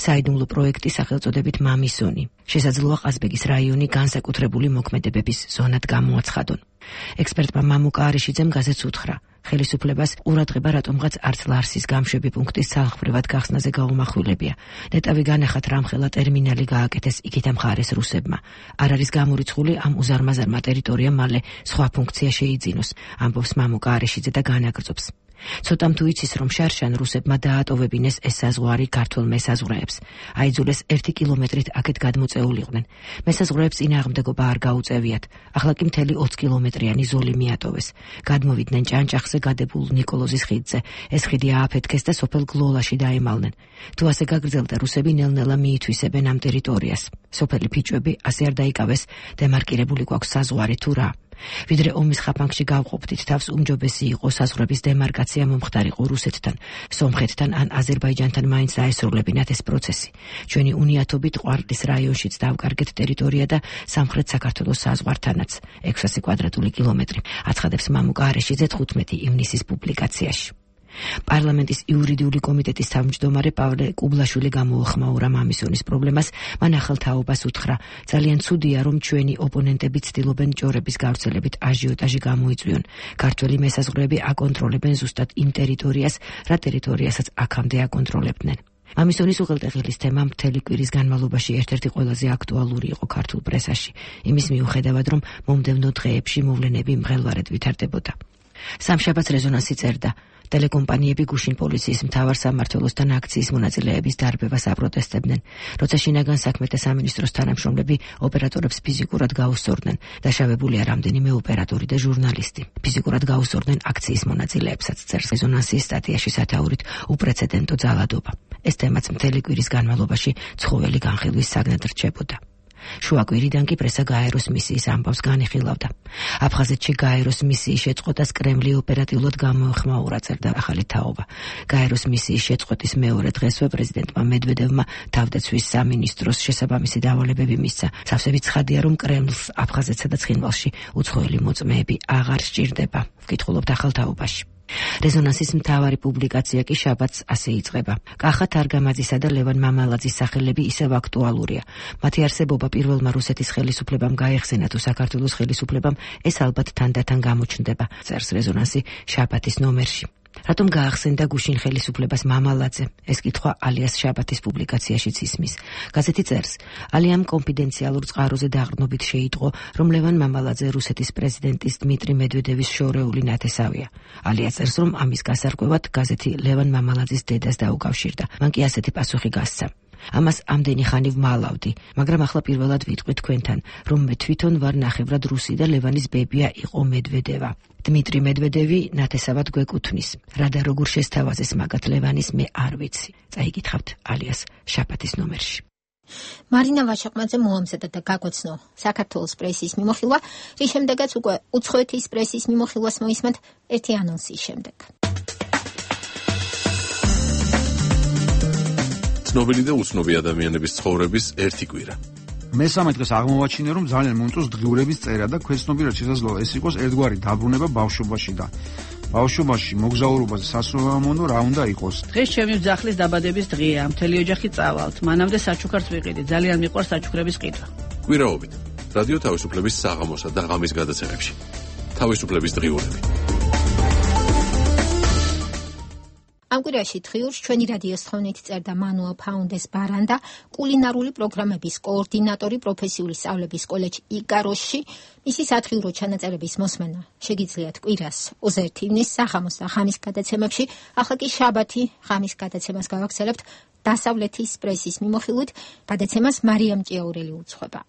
საიდუმლო პროექტი სახელწოდებით მამისონი. შესაძლოა ყაზბეგის რაიონი განსაკუთრებული მოქმედებების ზონად გამოაცხადონ. ექსპერტმა მამუკა არიშიძემ გაზეთს უთხრა, ხელისუფლებას ყურადღება რატომღაც არც ლარსის გამშვები პუნქტის ძალხმრივად გახსნაზე გაუმახვილებია. ნეტავი განახათ რამხელა ტერმინალი გააკეთეს იქით ამხარეს რუსებმა. არ არის გამორიცხული ამ უზარმაზარმა ტერიტორიამ მალე სხვა ფუნქცია შეიძინოს, ამბობს მამუკა არიშიძე და განაგრძობს. ცოტამ თუ იცის, რომ შარშან რუსებმა დაატოვებინეს ეს საზღვარი ქართულ მესაზღვრეებს. აიძულეს 1 კილომეტრით აქეთ გადმოწეულიყვნენ. მესაზღვრეებს წინააღმდეგობა არ გაუწევიათ. ახლა კი მთელი 20 კილომეტრიანი ზოლი მიატოვეს. გადმოვიდნენ ჭანჭახზე გადებულ ნიკოლოზის ხიდზე. ეს ხიდი ააფეთქეს და სოფელ გლოლაში დაემალნენ. თუ ასე გაგრძელდა, რუსები ნელ-ნელა მიითვისებენ ამ ტერიტორიას. სოფელი ფიჭვები ასე არ დაიკავეს, დემარკირებული გვაქვს საზღვარი თუ რა. ვიდრე ომის ხაფანგში გავყოფდით თავს, უმჯობესი იყო საზღვრების დემარკაცია მომხდარიყო რუსეთთან, სომხეთთან ან აზერბაიჯანთან მაინც დაესრულებინათ ეს პროცესი. ჩვენი უნიათობით ყვარლის რაიონშიც დავკარგეთ ტერიტორია და სამხრეთ საქართველოს საზღვართანაც 600 კვადრატული კილომეტრი, აცხადებს მამუკა არიშიძე 15 ივნისის პუბლიკაციაში. პარლამენტის იურიდიული კომიტეტის თავმჯდომარე პავლე კუბლაშვილი გამოუხმაურა მამისონის პრობლემას, მან ახალ თაობას უთხრა. ძალიან ცუდია, რომ ჩვენი ოპონენტები ცდილობენ ჭორების გავრცელებით აჟიოტაჟი გამოიწვიონ. ქართველი მესაზღვრეები აკონტროლებენ ზუსტად იმ ტერიტორიას, რა ტერიტორიასაც აქამდე აკონტროლებდნენ. მამისონის უღელტეხილის თემა მთელი კვირის განმავლობაში ერთ-ერთი ყველაზე აქტუალური იყო ქართულ პრესაში, იმის მიუხედავად, რომ მომდევნო დღეებში მოვლენები მღელვარედ ვითარდებოდა. სამშაბათს რეზონანსი წერდა: ტელეკომპანიები გუშინ პოლიციის მთავარ სამმართველოსთან აქციის მონაწილეების დარბევას აპროტესტებდნენ, როცა შინაგან საქმეთა სამინისტროს თანამშრომლები ოპერატორებს ფიზიკურად გაუსწორდნენ. დაშავებულია რამდენიმე ოპერატორი და ჟურნალისტი. ფიზიკურად გაუსწორდნენ აქციის მონაწილეებსაც, წერს რეზონანსის სტატიაში სათაურით უპრეცედენტო ძალადობა. ეს თემაც მთელი კვირის განმავლობაში ცხოველი განხილვის საგნად რჩებოდა. შუაკვირიდან კი პრესა გაეროს მისიის ამბავს განიხილავდა. აფხაზეთში გაეროს მისიის შეწყვეტას კრემლი ოპერატიულად გამოეხმაურა, წერდა ახალი თაობა. გაეროს მისიის შეწყვეტის მეორე დღესვე პრეზიდენტმა მედვედევმა თავდაცვის სამინისტროს შესაბამისი დავალებები მისცა. სავსებით ცხადია, რომ კრემლს აფხაზეთსა და ცხინვალში უცხოელი მოწმეები აღარ სჭირდება, ვკითხულობთ ახალ თაობაში. რეზონანსის მთავარი პუბლიკაცია კი შაბათს ასე იწყება. კახა თარგამაძისა და ლევან მამალაძის სახელები ისევ აქტუალურია. მათი არსებობა პირველმა რუსეთის ხელისუფლებამ გაეხსენა თუ საქართველოს ხელისუფლებამ ეს ალბათ თანდათან გამოჩნდება, წერს რეზონანსი შაბათის ნომერში. რატომ გაახსენდა გუშინ ხელისუფლებას მამალაძე? ეს კითხვა ალიას შაბათის პუბლიკაციაშიც ისმის. გაზეთი წერს: ალიამ კონფიდენციალურ წყაროზე დაყრდნობით შეიტყო, რომ ლევან მამალაძე რუსეთის პრეზიდენტის დმიტრი მედვედევის შორეული ნათესავია. ალია წერს, რომ ამის გასარკვევად გაზეთი ლევან მამალაძის დედას დაუკავშირდა. მან კი ასეთი პასუხი გასცა: ამას ამდენი ხანი ვმალავდი, მაგრამ ახლა პირველად ვიტყვი თქვენთან, რომ მე თვითონ ვარ ნახევრად რუსი და ლევანის ბებია იყო მედვედევა. დმიტრი მედვედევი ნათესავად გვეკუთვნის. რა და როგორ შესთავაზეს მაგათ ლევანის მე არ ვიცი. წაიკითხავთ ალიას შაბათის ნომერში. მარინა ვაშაყმაძე მოამზადა და გაგვაცნო საქართველოს პრესის მიმოხილვა, რის შემდეგაც უკვე უცხოეთის პრესის მიმოხილვას მოისმენთ ერთი ანონსის შემდეგ. ცნობილი და უცნობი ადამიანების ცხოვრების ერთი კვირა. მესამე დღეს აღმოვაჩინე, რომ ძალიან მომწონს დღიურების წერა და ქვეცნობიერად შესაძლოა ეს იყოს ერთგვარი დაბრუნება ბავშვობაში და ბავშვობაში მოგზაურობაზე სასურველმონო რა უნდა იყოს. დღეს ჩემი ძახლის დაბადების დღეა, მთელი ოჯახი წავალთ. მანამდე საჩუქარს ვიყიდი, ძალიან მიყვარს საჩუქრების ყიდვა. კვირაობით რადიო თავისუფლების საღამოსა და ღამის გადაცემებში. თავისუფლების დღიურები. ამ კვირაში დღიურს ჩვენი რადიოს თხოვნით წერდა მანუელ ფაუნდეს ბარანდა, კულინარული პროგრამების კოორდინატორი პროფესიული სწავლების კოლეჯ იკაროსში. მისი სათხიურო ჩანაწერების მოსმენა შეგიძლიათ კვირას 21 ივნის საღამოს და ღამის გადაცემებში. ახლა კი შაბათი ღამის გადაცემას გავაგრძელებთ დასავლეთის პრესის მიმოხილვით. გადაცემას მარიამ ჭიაურელი უძღვება.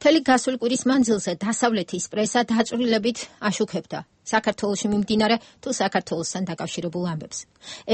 მთელი გასული კვირის მანძილზე დასავლეთის პრესა დაწვრილებით აშუქებდა საქართველოში მიმდინარე თუ საქართველოსთან დაკავშირებულ ამბებს.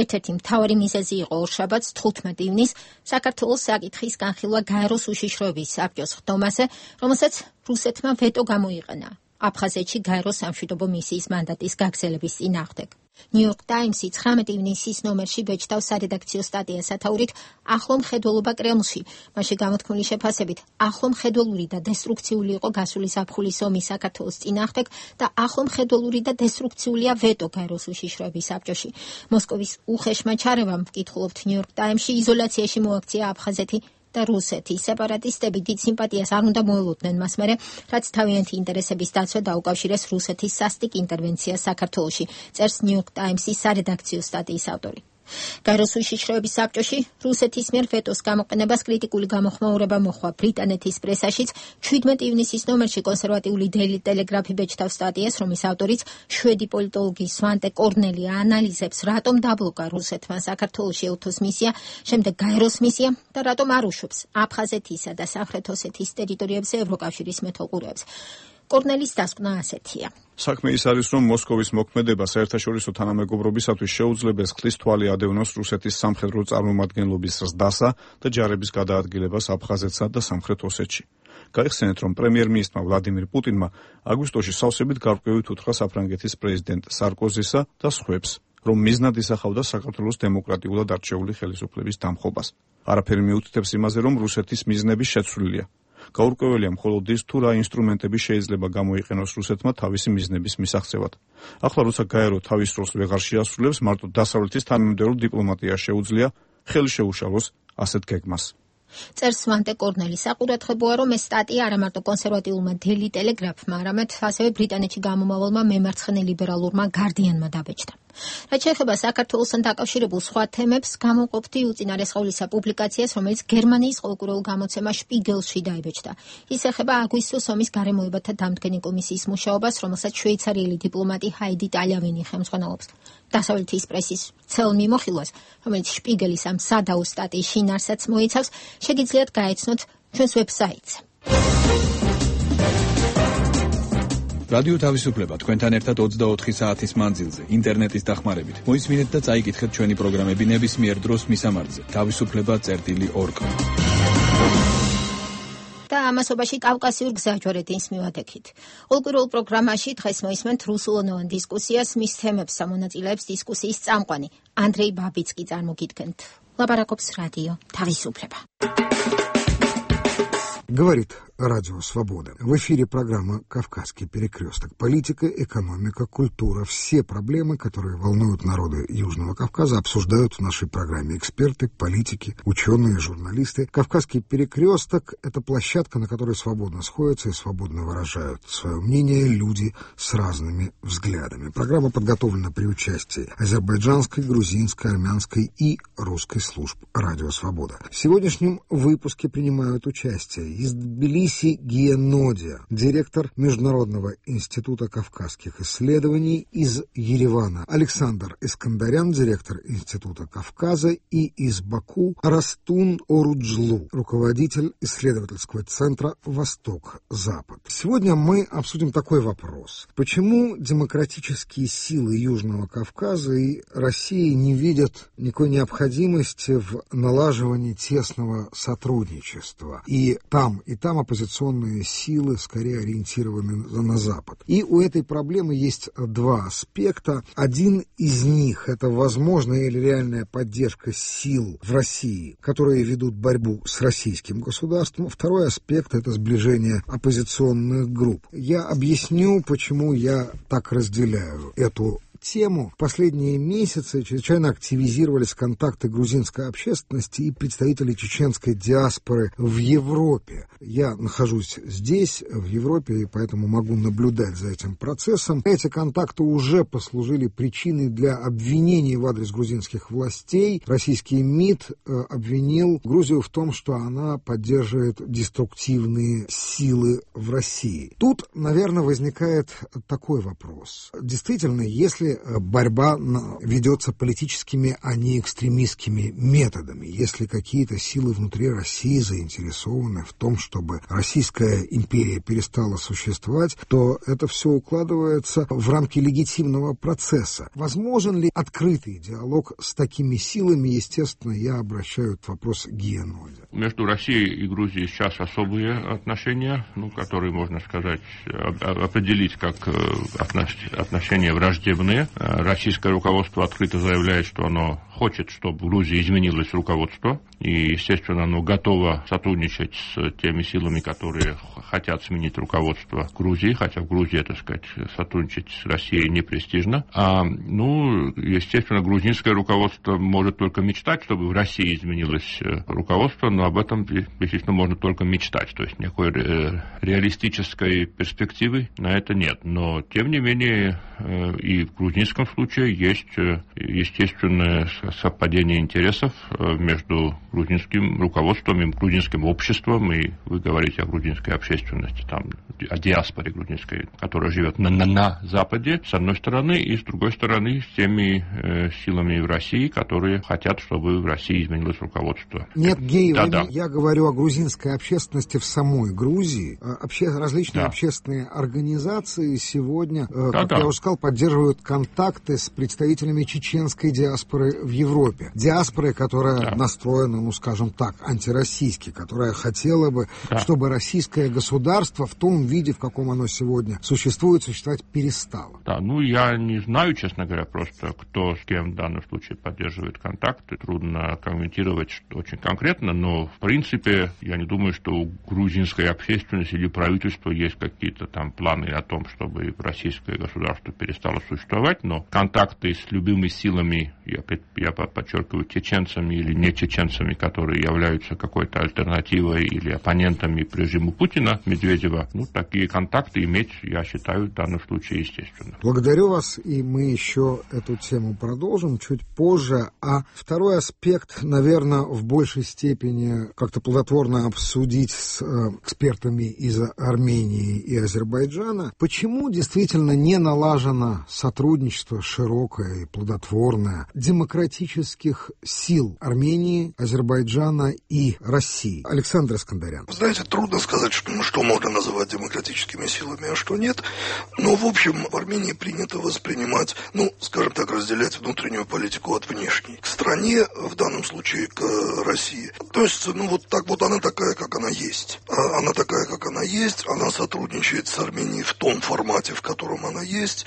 ერთ-ერთი მთავარი მიზეზი იყო ორშაბათს 15 ივნის საქართველოს საკითხის განხილვა გაეროს უშიშროების საბჭოს ხდომაზე, რომელსაც რუსეთმა ვეტო გამოიყენა აფხაზეთში გაეროს სამშვიდობო მისიის მანდატის გაგრძელების წინააღმდეგ. ნიუ-იორკ ტაიმსი 19 ივნისის ნომერში ბეჭდავს სარედაქციო სტატიას სათაურით ახლო მხედველობა კრემლში. მასში გამოთქმული შეფასებით, ახლო მხედველური და დესტრუქციული იყო გასული ზაფხულის ომი საქართველოს წინააღმდეგ და ახლო მხედველური და დესტრუქციულია ვეტო გაეროს უშიშროების საბჭოში. მოსკოვის უხეშმა ჩარევამ, ვკითხულობთ ნიუ-იორკ ტაიმსში, იზოლაციაში მოაქცია აფხაზეთი და რუსეთი. სეპარატისტები დიდ სიმპათიას არ უნდა მოელოდნენ მას მერე, რაც თავიანთი ინტერესების დაცვა დაუკავშირეს რუსეთის სასტიკ ინტერვენციას საქართველოში, წერს ნიუ-იორკ ტაიმსის სარედაქციო სტატიის ავტორი. გაეროს უშიშროების საბჭოში რუსეთის მიერ ვეტოს გამოყენებას კრიტიკული გამოხმაურება მოხდა ბრიტანეთის პრესაშიც. 17 ივნისის ნომერში კონსერვატიული დეილი ტელეგრაფი ბეჭდავს სტატიას, რომლის ავტორიც შვედი პოლიტოლოგი სვანტე კორნელი ანალიზებს, რატომ დაბლოკა რუსეთმა საქართველოში ეუთოს მისია, შემდეგ გაეროს მისია და რატომ არ უშვებს აფხაზეთისა და სამხრეთ ოსეთის ტერიტორიებზე ევროკავშირის მეთვალყურეებს. კორნელის დასკვნა ასეთია. საქმე ის არის, რომ მოსკოვის მოქმედება საერთაშორისო თანამეგობრობისათვის შეუძლებს ხლის თვალი ადევნოს რუსეთის სამხედრო წარმომადგენლობის ზრდასა და ჯარების გადაადგილებას აფხაზეთსა და სამხრეთ ოსეთში. გაიხსენეთ, რომ პრემიერ-მინისტრმა ვლადიმირ პუტინმა აგვისტოში სავსებით გარკვევით უთხრა საფრანგეთის პრეზიდენტ სარკოზისა და სხვებს, რომ მიზნად ისახავდა საქართველოს დემოკრატიულად არჩეული ხელისუფლების დამხობას. არაფერი მიუთითებს იმაზე, რომ რუსეთის მიზნები შეცვლილია. გაურკვეველია მხოლოდ ის, თუ რა ინსტრუმენტები შეიძლება გამოიყენოს რუსეთმა თავისი მიზნების მისაღწევად. ახლა როცა გაერო თავის როლს ვეღარ შეასრულებს, მარტო დასავლეთის თანამიმდევრო დიპლომატია შეუძლია ხელი შეუშალოს ასეთ გეგმას. წერს სვანტე კორნელი. საყურადღებოა, რომ ეს სტატია არა მარტო კონსერვატიულმა დეილი ტელეგრაფმა, არამედ ასევე ბრიტანეთში გამომავალმა მემარცხენე ლიბერალურმა გარდიანმა დაბეჭდა. რაც შეეხება საქართველოსთან დაკავშირებულ სხვა თემებს, გამოვყოფდი უწინარესყავლისა პუბლიკაციას, რომელიც გერმანიის ყოველკვირეულ გამოცემა შპიგელში დაიბეჭდა. ის ეხება აგვისტოს ომის გარემოებათა დამდგენი კომისიის მუშაობას, რომელსაც შვეიცარიელი დიპლომატი ჰაიდი ტალявინი ხელმძღვანელობს. დასავლეთის პრესის ცელ მიმოხილვას, რომელიც შპიგელის ამ სადაო სტატიის შინაარსაც მოიცავს, შეგიძლიათ გაეცნოთ ჩვენს ვებსაიტზე. რადიო თავისუფლება თქვენთან ერთად 24 საათის მანძილზე, ინტერნეტის დახმარებით. მოისმინეთ და წაიკითხეთ ჩვენი პროგრამები ნებისმიერ დროს მისამართზე. თავისუფლება.org. და ამასობაში კავკასიურ გზაჯვარედინს მივადგეთ. ყოველკვირეულ პროგრამაში დღეს მოისმენთ რუსულენოვან დისკუსიას, მის თემებს ამონაწილეებს დისკუსიის წამყვანი ანდრეი ბაბიცკი წარმოგიდგენთ. ლაპარაკობს რადიო თავისუფლება. Говорит Радио Свобода. В эфире программа «Кавказский перекресток». Политика, экономика, культура. Все проблемы, которые волнуют народы Южного Кавказа, обсуждают в нашей программе эксперты, политики, ученые, журналисты. «Кавказский перекресток» — это площадка, на которой свободно сходятся и свободно выражают свое мнение люди с разными взглядами. Программа подготовлена при участии азербайджанской, грузинской, армянской и русской служб «Радио Свобода». В сегодняшнем выпуске принимают участие из Тбилиси Гия Нодия, директор Международного института кавказских исследований, из Еревана Александр Искандарян, директор Института Кавказа, и из Баку Растун Оруджлу, руководитель исследовательского центра «Восток-Запад». Сегодня мы обсудим такой вопрос. Почему демократические силы Южного Кавказа и России не видят никакой необходимости в налаживании тесного сотрудничества? И там оппозиционные силы скорее ориентированы на Запад. И у этой проблемы есть два аспекта. Один из них — это возможная или реальная поддержка сил в России, которые ведут борьбу с российским государством. Второй аспект — это сближение оппозиционных групп. Я объясню, почему я так разделяю эту тему. В последние месяцы чрезвычайно активизировались контакты грузинской общественности и представителей чеченской диаспоры в Европе. Я нахожусь здесь, в Европе, и поэтому могу наблюдать за этим процессом. Эти контакты уже послужили причиной для обвинений в адрес грузинских властей. Российский МИД обвинил Грузию в том, что она поддерживает деструктивные силы в России. Тут, наверное, возникает такой вопрос. Действительно, если борьба ведется политическими, а не экстремистскими методами. Если какие-то силы внутри России заинтересованы в том, чтобы Российская империя перестала существовать, то это все укладывается в рамки легитимного процесса. Возможен ли открытый диалог с такими силами? Естественно, я обращаю этот вопрос к Гия Нодия. Между Россией и Грузией сейчас особые отношения, которые, можно сказать, определить как отношения враждебные. Российское руководство открыто заявляет, что оно хочет, чтобы в Грузии изменилось руководство, и, естественно, оно готово сотрудничать с теми силами, которые хотят сменить руководство Грузии, хотя в Грузии, так сказать, сотрудничать с Россией не престижно. Естественно, грузинское руководство может только мечтать, чтобы в России изменилось руководство, но об этом, естественно, можно только мечтать, то есть никакой реалистической перспективы на это нет. Но, тем не менее, и в грузинском случае есть естественное совпадение интересов между грузинским руководством и грузинским обществом, и вы говорите о грузинской общественности, о диаспоре грузинской, которая живет на Западе, с одной стороны, и с другой стороны, с теми силами в России, которые хотят, чтобы в России изменилось руководство. Нет, Гей, я говорю о грузинской общественности в самой Грузии. Различные общественные организации сегодня, как я уже сказал, поддерживают контакты с представителями чеченской диаспоры в Европе. Диаспоры, которая настроена, скажем так, антироссийски, которая хотела бы, чтобы российское государство в том виде, в каком оно сегодня существует, существовать перестало. Я не знаю, честно говоря, просто кто с кем в данном случае поддерживает контакты. Трудно комментировать очень конкретно, но, в принципе, я не думаю, что у грузинской общественности или правительства есть какие-то там планы о том, чтобы российское государство перестало существовать, но контакты с любыми силами, я я подчеркиваю, чеченцами или не чеченцами, которые являются какой-то альтернативой или оппонентами к режиму Путина, Медведева, такие контакты иметь, я считаю, в данном случае естественно. Благодарю вас, и мы еще эту тему продолжим чуть позже. А второй аспект, наверное, в большей степени как-то плодотворно обсудить с экспертами из Армении и Азербайджана. Почему действительно не налажено сотрудничество широкое и плодотворное демократических сил Армении, Азербайджана и России? Александр Искандарян. Знаете, трудно сказать, что можно называть демократическими силами, а что нет. Но, в общем, в Армении принято воспринимать, скажем так, разделять внутреннюю политику от внешней. К стране, в данном случае к России, относится, она такая, как она есть. Она такая, как она есть, она сотрудничает с Арменией в том формате, в котором она есть.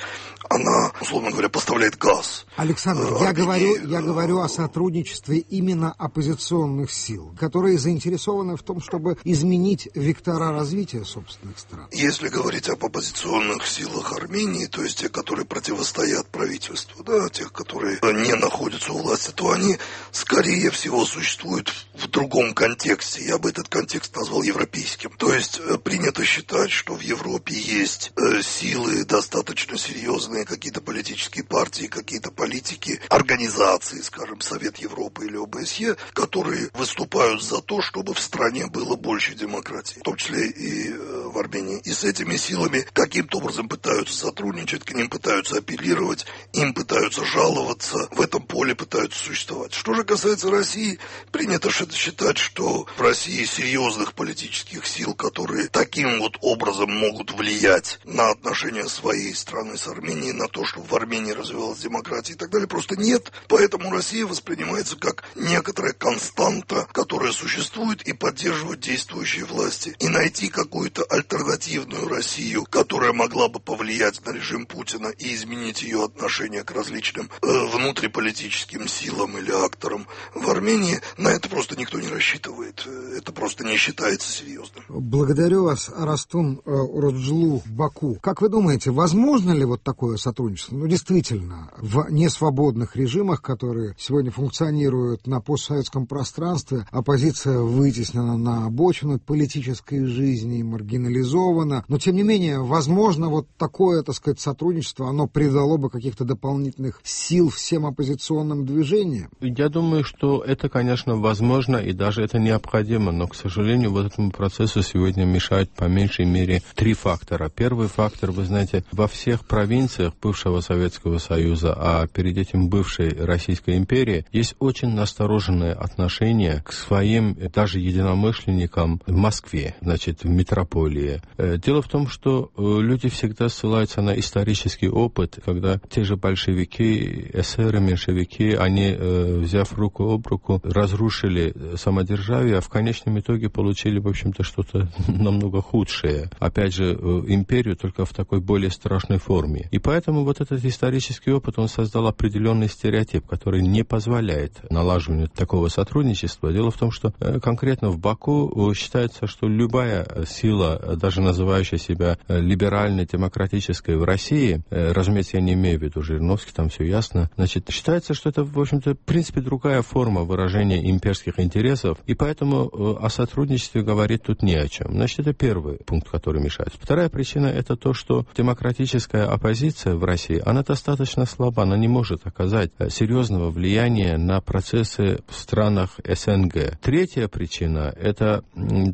Она, условно говоря, поставляет газ. Александр, я говорю о сотрудничестве именно оппозиционных сил, которые заинтересованы в том, чтобы изменить вектора развития собственных стран. Если говорить об оппозиционных силах Армении, то есть те, которые противостоят правительству, тех, которые не находятся у власти, то они, скорее всего, существуют в другом контексте. Я бы этот контекст назвал европейским. То есть принято считать, что в Европе есть силы достаточно серьезные, какие-то политические партии, какие-то политики, организации, скажем, Совет Европы или ОБСЕ, которые выступают за то, чтобы в стране было больше демократии, в том числе и в Армении. И с этими силами каким-то образом пытаются сотрудничать, к ним пытаются апеллировать, им пытаются жаловаться, в этом поле пытаются существовать. Что же касается России, принято считать, что в России серьезных политических сил, которые таким вот образом могут влиять на отношения своей страны с Арменией, на то, чтобы в Армении развивалась демократия и так далее, просто нет. Поэтому Россия воспринимается как некоторая константа, которая существует и поддерживает действующие власти. И найти какую-то альтернативную Россию, которая могла бы повлиять на режим Путина и изменить ее отношение к различным внутриполитическим силам или акторам в Армении, на это просто никто не рассчитывает. Это просто не считается серьезным. Благодарю вас, Арастун Уроджлу в Баку. Как вы думаете, возможно ли вот такое сотрудничество? Действительно, в несвободных режимах, которые сегодня функционируют на постсоветском пространстве, оппозиция вытеснена на обочину политической жизни, маргинализована. Но, тем не менее, возможно, вот такое, сотрудничество, оно придало бы каких-то дополнительных сил всем оппозиционным движениям? Я думаю, что это, конечно, возможно, и даже это необходимо, но, к сожалению, вот этому процессу сегодня мешают по меньшей мере 3 фактора. Первый фактор, вы знаете, во всех провинциях бывшего Советского Союза, а перед этим бывшей Российской империи, есть очень настороженное отношение к своим даже единомышленникам в Москве, в метрополии. Дело в том, что люди всегда ссылаются на исторический опыт, когда те же большевики, эсеры, меньшевики, они, взяв руку об руку, разрушили самодержавие, а в конечном итоге получили, в общем-то, что-то намного худшее. Опять же, империю, только в такой более страшной форме. И поэтому вот этот исторический опыт, он создал определенный стереотип, который не позволяет налаживанию такого сотрудничества. Дело в том, что конкретно в Баку считается, что любая сила, даже называющая себя либеральной, демократической в России, разумеется, я не имею в виду Жириновский, там все ясно, считается, что это, в общем-то, в принципе, другая форма выражения имперских интересов, и поэтому о сотрудничестве говорить тут не о чем. Это первый пункт, который мешает. Вторая причина — это то, что демократическая оппозиция в России, она достаточно слаба, она не может оказать серьезного влияния на процессы в странах СНГ. Третья причина — это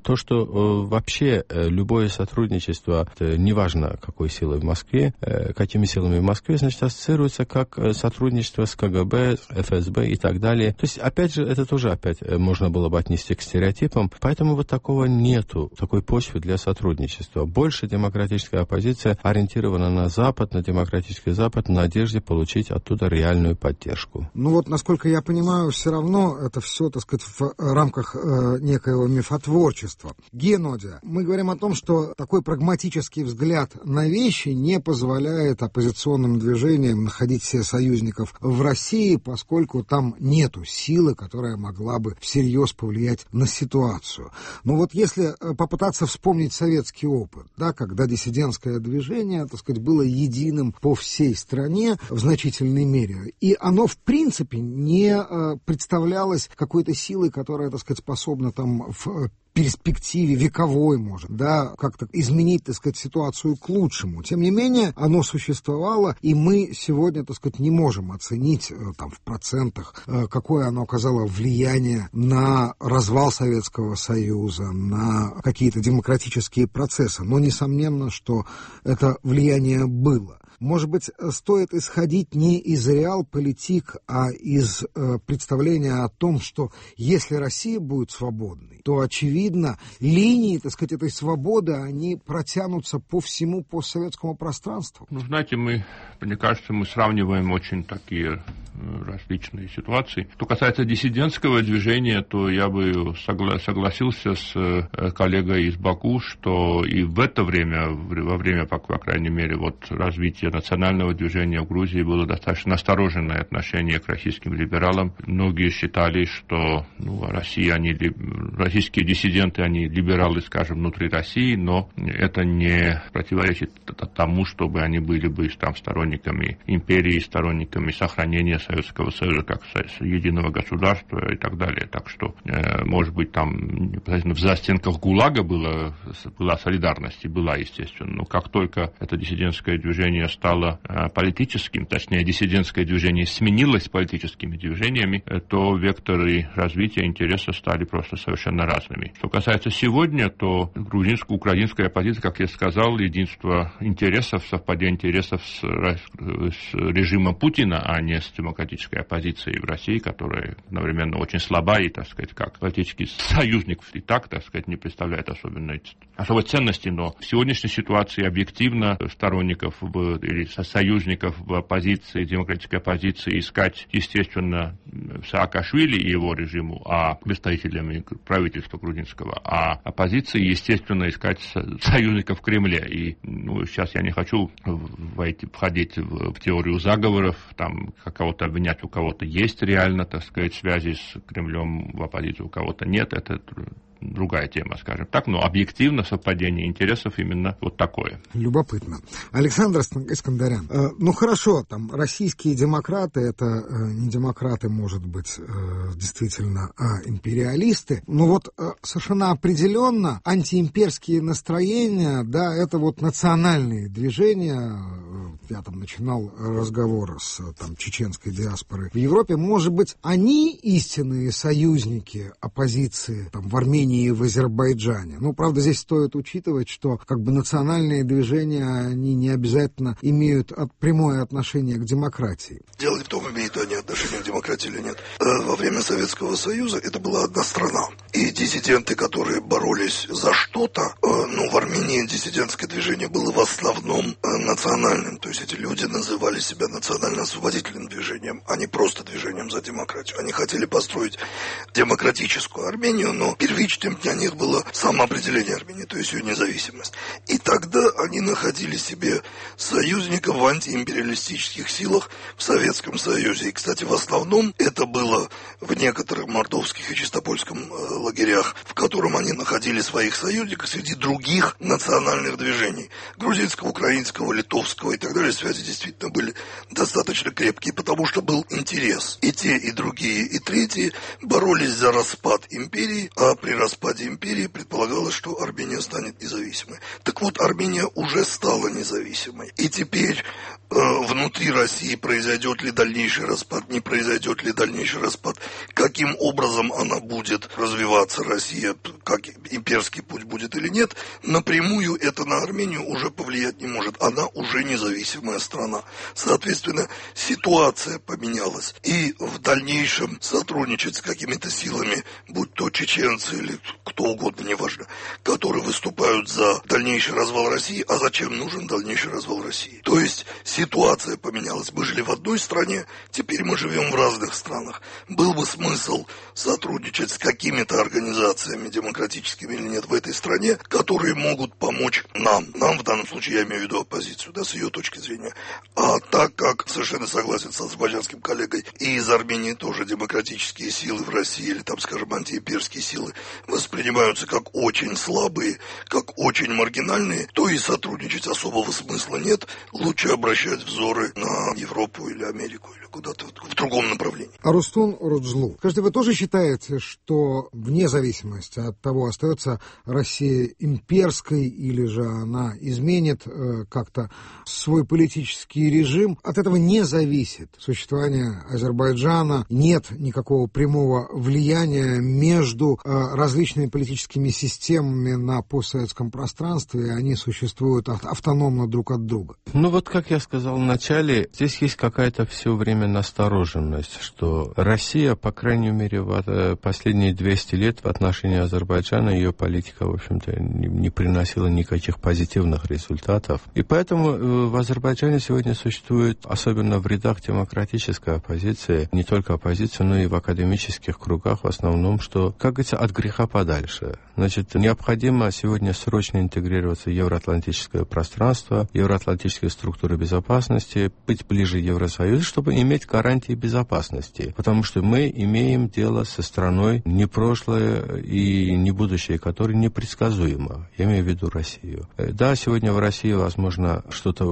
то, что вообще любое сотрудничество, неважно какой силой в Москве, какими силами в Москве, ассоциируется как сотрудничество с КГБ, ФСБ и так далее. То есть, опять же, это тоже можно было бы отнести к стереотипам, поэтому вот такого нету, такой почвы для сотрудничества. Больше демократическая оппозиция ориентирована на Запад, на демократический Запад, в надежде получить оттуда реальную поддержку. Насколько я понимаю, все равно это все, в рамках некоего мифотворчества. Генодия, мы говорим о том, том, что такой прагматический взгляд на вещи не позволяет оппозиционным движениям находить себе союзников в России, поскольку там нету силы, которая могла бы всерьез повлиять на ситуацию. Но вот если попытаться вспомнить советский опыт, да, когда диссидентское движение, так сказать, было единым по всей стране в значительной мере, и оно в принципе не представлялось какой-то силой, которая, так сказать, способна там в перспективе вековой, может, да, как-то изменить, так сказать, ситуацию к лучшему. Тем не менее, оно существовало, и мы сегодня, так сказать, не можем оценить там в процентах, какое оно оказало влияние на развал Советского Союза, на какие-то демократические процессы. Но несомненно, что это влияние было. Может быть, стоит исходить не из реалполитик, а из представления о том, что если Россия будет свободной, то, очевидно, линии, так сказать, этой свободы, они протянутся по всему постсоветскому пространству. Ну, знаете, мне кажется, мы сравниваем очень такие различные ситуации. Что касается диссидентского движения, то я бы согласился с коллегой из Баку, что и в это время, во время, по крайней мере, вот развития национального движения в Грузии было достаточно настороженное отношение к российским либералам. Многие считали, что российские диссиденты, они либералы, скажем, внутри России, но это не противоречит тому, чтобы они были бы там сторонниками империи, сторонниками сохранения Советского Союза как единого государства и так далее. Так что, может быть, там непосредственно в застенках ГУЛАГа была солидарность, и была, естественно. Но как только это диссидентское движение стало политическим, точнее, диссидентское движение сменилось политическими движениями, то векторы развития интереса стали просто совершенно разными. Что касается сегодня, то украинская оппозиция, как я сказал, единство интересов, совпадение интересов с режимом Путина, а не с демократической оппозицией в России, которая одновременно очень слаба и, так сказать, как политический союзник и так сказать, не представляет особой ценности. Но в сегодняшней ситуации объективно сторонников или союзников в оппозиции, демократической оппозиции искать, естественно, Саакашвили и его режиму, а представителями правительства грузинского, а оппозиции, естественно, искать союзников в Кремле. И сейчас я не хочу входить в теорию заговоров, там кого-то обвинять, у кого-то есть реально, так сказать, связи с Кремлем в оппозиции, у кого-то нет, это другая тема, скажем так, но объективно совпадение интересов именно вот такое. Любопытно. Александр Искандарян, ну хорошо, там российские демократы, это не демократы, может быть, действительно, а империалисты, но вот совершенно определенно антиимперские настроения, да, это вот национальные движения. Я там начинал разговор с там чеченской диаспорой в Европе. Может быть, они истинные союзники оппозиции там в Армении и в Азербайджане. Ну, правда, здесь стоит учитывать, что как бы национальные движения, они не обязательно имеют прямое отношение к демократии. Дело не в том, имеют они отношение к демократии или нет. Во время Советского Союза это была одна страна. И диссиденты, которые боролись за что-то, в Армении диссидентское движение было в основном национальным. То есть эти люди называли себя национально-освободительным движением, а не просто движением за демократию. Они хотели построить демократическую Армению, но первичным для них было самоопределение Армении, то есть ее независимость. И тогда они находили себе союзников в антиимпериалистических силах в Советском Союзе. И, кстати, в основном это было в некоторых мордовских и чистопольском лагерях, в котором они находили своих союзников среди других национальных движений. Грузинского, украинского, литовского и так далее. Связи действительно были достаточно крепкие, потому что был интерес. И те, и другие, и третьи боролись за распад империи, а при распаде империи предполагалось, что Армения станет независимой. Так вот, Армения уже стала независимой. И теперь внутри России произойдет ли дальнейший распад, не произойдет ли дальнейший распад, каким образом она будет развиваться, Россия, как имперский путь будет или нет, напрямую это на Армению уже повлиять не может. Она уже независимая страна. Соответственно, ситуация поменялась. И в дальнейшем сотрудничать с какими-то силами, будь то чеченцы или кто угодно, неважно, которые выступают за дальнейший развал России. А зачем нужен дальнейший развал России? То есть ситуация поменялась. Мы жили в одной стране, теперь мы живем в разных странах. Был бы смысл сотрудничать с какими-то организациями, демократическими или нет, в этой стране, которые могут помочь нам. Нам, в данном случае, я имею в виду оппозицию, да, с ее точки зрения. А так как, совершенно согласен с азербайджанским коллегой, и из Армении тоже демократические силы в России, или там, скажем, антиимперские силы, воспринимаются как очень слабые, как очень маргинальные, то и сотрудничать особого смысла нет. Лучше обращать взоры на Европу или Америку, или куда-то в другом направлении. Арустун Руджлу, скажите, вы тоже считаете, что вне зависимости от того, остается Россия имперской или же она изменит как-то свой политический режим, от этого не зависит существование Азербайджана, нет никакого прямого влияния между различными политическими системами на постсоветском пространстве, и они существуют автономно друг от друга? Ну вот, как я сказал в начале, здесь есть какая-то все время настороженность, что Россия, по крайней мере, в последние 200 лет в отношении Азербайджана, ее политика, в общем-то, не приносила никаких позитивных результатов. И поэтому в Азербайджане сегодня существует, особенно в рядах демократической оппозиции, не только оппозиции, но и в академических кругах в основном, что, как говорится, от греха подальше. Значит, необходимо сегодня срочно интегрироваться в евроатлантическое пространство, евроатлантические структуры безопасности, быть ближе к Евросоюзу, чтобы иметь гарантии безопасности. Потому что мы имеем дело со страной не прошлое и не будущее, которое непредсказуемо. Я имею в виду Россию. Да, сегодня в России, возможно, что-то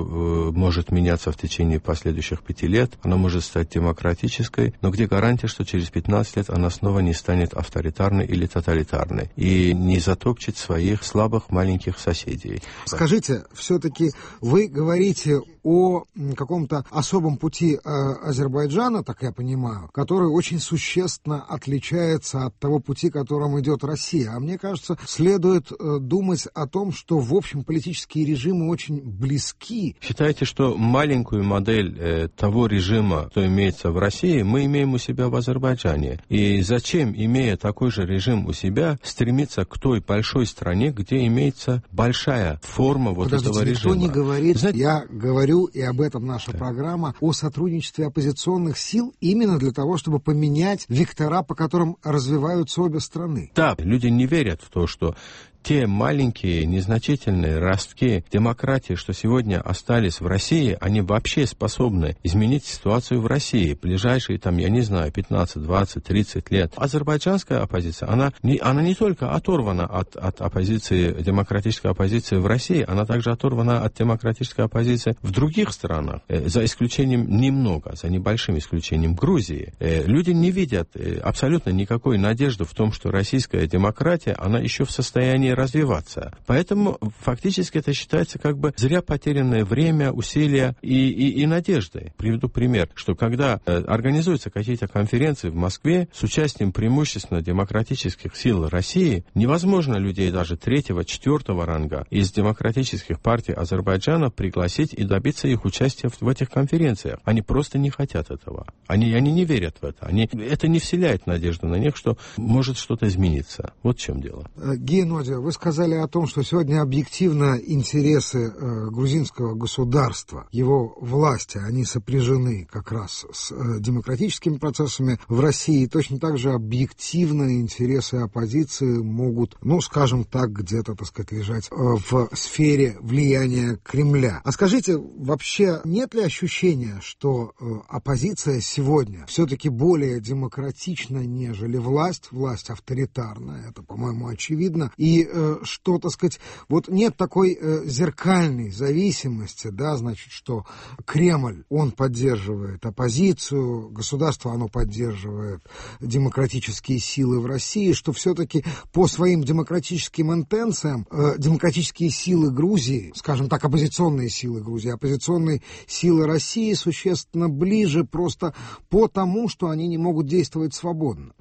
может меняться в течение последующих 5 лет. Она может стать демократической, но где гарантия, что через 15 лет она снова не станет авторитарной или тоталитарной и не затопчет своих слабых маленьких соседей? Скажите, все-таки вы говорите о каком-то особом пути Азербайджана, так я понимаю, который очень существенно отличается от того пути, которым идет Россия. А мне кажется, следует думать о том, что, в общем, политические режимы очень близки. Считаете, что маленькую модель того режима, что имеется в России, мы имеем у себя в Азербайджане? И зачем, имея такой же режим у себя, стремиться к той большой стране, где имеется большая форма вот этого режима? Никто не говорит, знаете, я говорю, и об этом наша программа, о сотрудничестве оппозиционных сил именно для того, чтобы поменять вектора, по которым развиваются обе страны. Да, люди не верят в то, что те маленькие, незначительные ростки демократии, что сегодня остались в России, они вообще способны изменить ситуацию в России в ближайшие, там, я не знаю, 15, 20, 30 лет. Азербайджанская оппозиция, она не только оторвана от оппозиции, демократической оппозиции в России, она также оторвана от демократической оппозиции в других странах, за исключением немного, за небольшим исключением Грузии. Люди не видят абсолютно никакой надежды в том, что российская демократия, она еще в состоянии развиваться. Поэтому фактически это считается как бы зря потерянное время, усилия и надежды. Приведу пример, что когда организуются какие-то конференции в Москве с участием преимущественно демократических сил России, невозможно людей даже 3-4 ранга из демократических партий Азербайджана пригласить и добиться их участия в этих конференциях. Они просто не хотят этого. Они не верят в это. Это не вселяет надежду на них, что может что-то измениться. Вот в чем дело. Гея, вы сказали о том, что сегодня объективно интересы грузинского государства, его власти, они сопряжены как раз с демократическими процессами в России. Точно так же объективно интересы оппозиции могут, скажем так, где-то, так сказать, лежать в сфере влияния Кремля. А скажите, вообще нет ли ощущения, что оппозиция сегодня все-таки более демократична, нежели власть? Власть авторитарная, это, по-моему, очевидно. И что, так сказать, вот нет такой зеркальной зависимости, да, значит, что Кремль, он поддерживает оппозицию, государство, оно поддерживает демократические силы в России, что все-таки по своим демократическим интенциям демократические силы Грузии, скажем так, оппозиционные силы Грузии, оппозиционные силы России существенно ближе просто потому, что они не могут действовать свободно.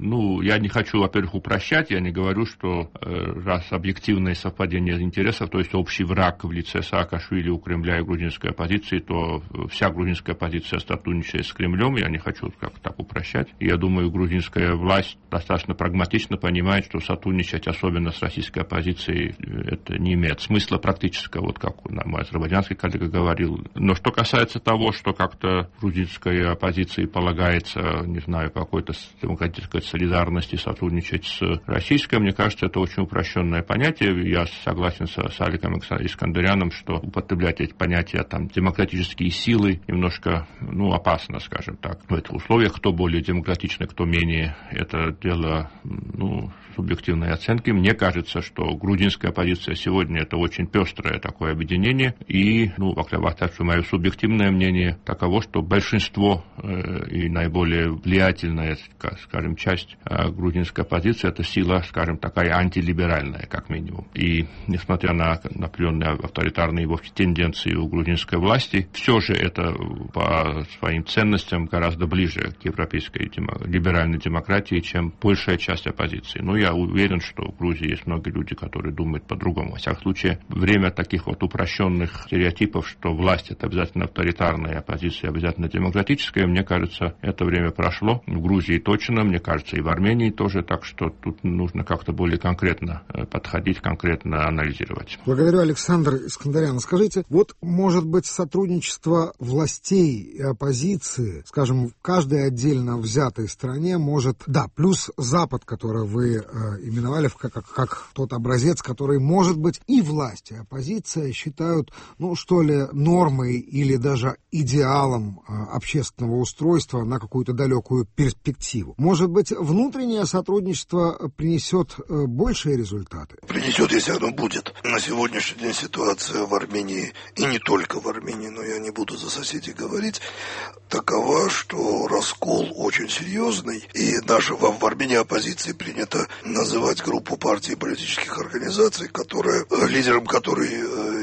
Я не хочу, во-первых, упрощать, я не говорю, что раз объективное совпадение интересов, то есть общий враг в лице Саакашвили у Кремля и грузинской оппозиции, то вся грузинская оппозиция сотрудничает с Кремлем, я не хочу как-то так упрощать. Я думаю, грузинская власть достаточно прагматично понимает, что сотрудничать, особенно с российской оппозицией, это не имеет смысла практического, вот как мой азербайджанский коллега говорил. Но что касается того, что как-то грузинской оппозиции полагается, не знаю, по какой-то демократической солидарности сотрудничать с российской, мне кажется, это очень упрощенное понятие. Я согласен с Аликом Искандеряном, что употреблять эти понятия, там, демократические силы немножко, опасно, скажем так. В этих условиях, кто более демократичный, кто менее, это дело, субъективной оценки. Мне кажется, что грузинская оппозиция сегодня это очень пестрое такое объединение. И, мое субъективное мнение таково, что большинство и наиболее влиятельная, скажем, часть грузинской оппозиции это сила, скажем, такая антилиберальная, как минимум. И несмотря на определенные авторитарные его тенденции у грузинской власти, все же это по своим ценностям гораздо ближе к европейской либеральной демократии, чем большая часть оппозиции. Я уверен, что в Грузии есть многие люди, которые думают по-другому. Во всяком случае, время таких вот упрощенных стереотипов, что власть это обязательно авторитарная, оппозиция обязательно демократическая, мне кажется, это время прошло. В Грузии точно, мне кажется, и в Армении тоже, так что тут нужно как-то более конкретно подходить, конкретно анализировать. Благодарю, Александр Искандерян. Скажите, может быть, сотрудничество властей и оппозиции, скажем, в каждой отдельно взятой стране может, плюс Запад, который вы именовали как тот образец, который, может быть, и власть, и оппозиция считают, нормой или даже идеалом общественного устройства на какую-то далекую перспективу. Может быть, внутреннее сотрудничество принесет большие результаты? Принесет, если оно будет. На сегодняшний день ситуация в Армении, и не только в Армении, но я не буду за соседей говорить, такова, что раскол очень серьезный, и даже в Армении оппозиции принято называть группу партий и политических организаций, лидером которой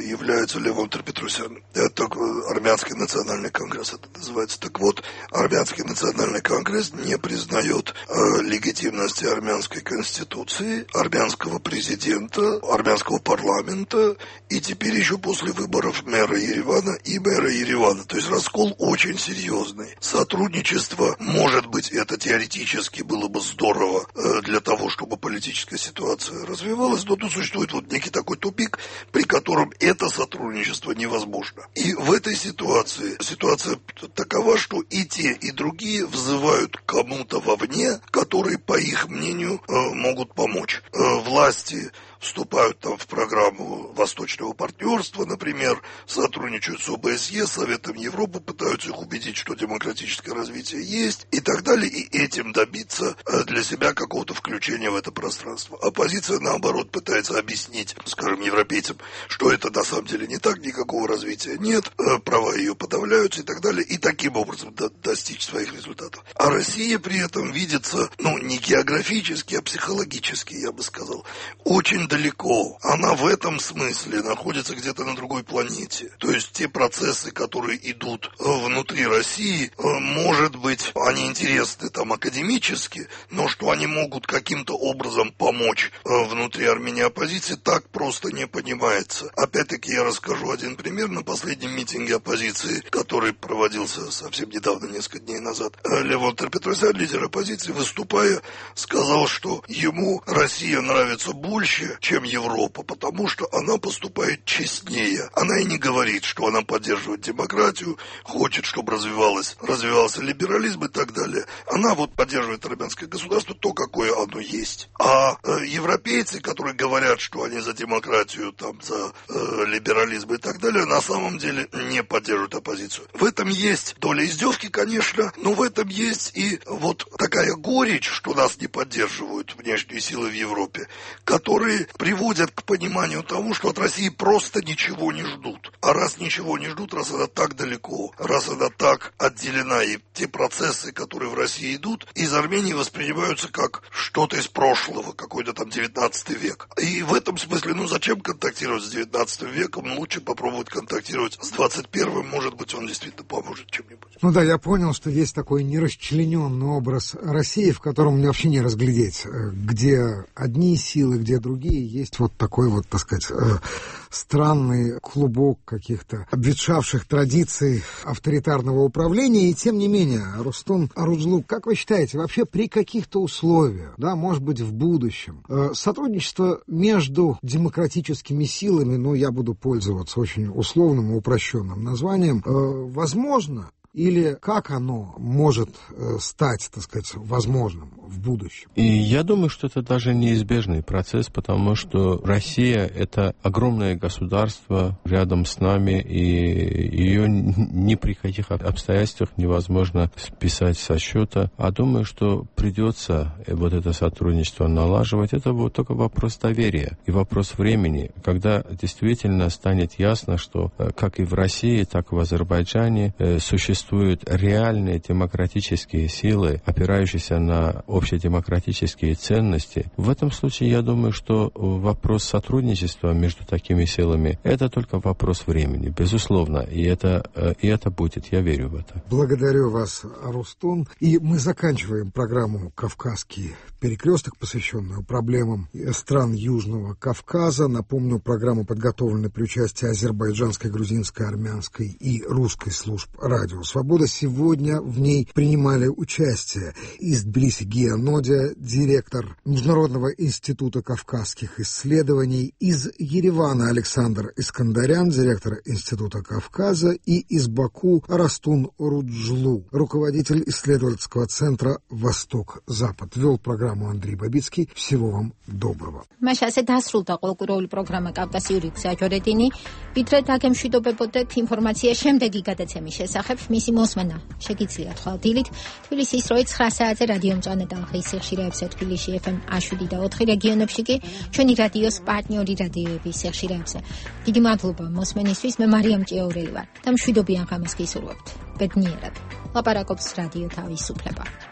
является Левон Петросян. Это Армянский национальный конгресс, это называется. Так вот, Армянский национальный конгресс не признает легитимности армянской конституции, армянского президента, армянского парламента, и теперь еще после выборов мэра Еревана. То есть раскол очень серьезный. Сотрудничество, может быть, это теоретически было бы здорово для того, чтобы политическая ситуация развивалась, но тут существует некий такой тупик, при котором это сотрудничество невозможно. И в этой ситуация такова, что и те, и другие взывают к кому-то вовне, которые, по их мнению, могут помочь. Власти вступают в программу Восточного партнерства, например, сотрудничают с ОБСЕ, Советом Европы, пытаются их убедить, что демократическое развитие есть и так далее, и этим добиться для себя какого-то включения в это пространство. Оппозиция, наоборот, пытается объяснить, скажем, европейцам, что это на самом деле не так, никакого развития нет, права ее подавляются и так далее, и таким образом достичь своих результатов. А Россия при этом видится, не географически, а психологически, я бы сказал, очень далеко. Она в этом смысле находится где-то на другой планете. То есть те процессы, которые идут внутри России, может быть, они интересны академически, но что они могут каким-то образом помочь внутри Армении оппозиции, так просто не понимается. Опять-таки я расскажу один пример. На последнем митинге оппозиции, который проводился совсем недавно, несколько дней назад, Левон Петросян, лидер оппозиции, выступая, сказал, что ему Россия нравится больше, чем Европа, потому что она поступает честнее. Она и не говорит, что она поддерживает демократию, хочет, чтобы развивался либерализм и так далее. Она поддерживает армянское государство, то, какое оно есть. А европейцы, которые говорят, что они за демократию, за либерализм и так далее, на самом деле не поддерживают оппозицию. В этом есть доля издевки, конечно, но в этом есть и такая горечь, что нас не поддерживают внешние силы в Европе, которые приводят к пониманию того, что от России просто ничего не ждут. А раз ничего не ждут, раз она так далеко, раз она так отделена, и те процессы, которые в России идут, из Армении воспринимаются как что-то из прошлого, какой-то 19 век. И в этом смысле, зачем контактировать с 19 веком? Лучше попробовать контактировать с 21-м, может быть, он действительно поможет чем-нибудь. Я понял, что есть такой нерасчлененный образ России, в котором мне вообще не разглядеть, где одни силы, где другие России есть вот такой вот, так сказать, странный клубок каких-то обветшавших традиций авторитарного управления, и тем не менее, Рустум Оруджлу, как вы считаете, вообще при каких-то условиях, да, может быть, в будущем, сотрудничество между демократическими силами, ну, я буду пользоваться очень условным и упрощенным названием, возможно? Или как оно может стать, так сказать, возможным в будущем? И я думаю, что это даже неизбежный процесс, потому что Россия — это огромное государство рядом с нами, и ее ни при каких обстоятельствах невозможно списать со счета. А думаю, что придется вот это сотрудничество налаживать. Это вот только вопрос доверия и вопрос времени, когда действительно станет ясно, что как и в России, так и в Азербайджане существуют реальные демократические силы, опирающиеся на общедемократические ценности. В этом случае, я думаю, что вопрос сотрудничества между такими силами — это только вопрос времени, безусловно, и это будет, я верю в это. Благодарю вас, Рустум. И мы заканчиваем программу «Кавказский перекресток», посвященную проблемам стран Южного Кавказа. Напомню, программа подготовлена при участии азербайджанской, грузинской, армянской и русской служб радио «Свобода». Сегодня в ней принимали участие из Тбилиси Гия Нодя, директор Международного института кавказских исследований, из Еревана Александр Искандарян, директор Института Кавказа, и из Баку Рустум Оруджлу, руководитель исследовательского центра «Восток-Запад». Вел программу Андрей Бабицкий. Всего вам доброго. Მაშასე დასრულდა ყოლკუროული პროგრამა კავკასიური გზაჯვარედინი. ვიდრე დაგემშვიდობებოდეთ ინფორმაცია შემდეგი გადაცემის შესახებ, მისი მოსმენა შეგიძლიათ ხვალ დილით თბილისის როი 9 საათზე რადიომჭანა ტალღის სიხშირეებზე თბილისში FM 107 და 4 რეგიონებში კი ჩვენი რადიოს პარტნიორი რადიოების სიხშირეებზე. დიდი მადლობა მოსმენისთვის. მე მარიამ ჭიაურელი ვარ და მშვიდობიან ღამეს გისურვებთ. ბედნიერად. ლაპარაკობს რადიო თავისუფლება.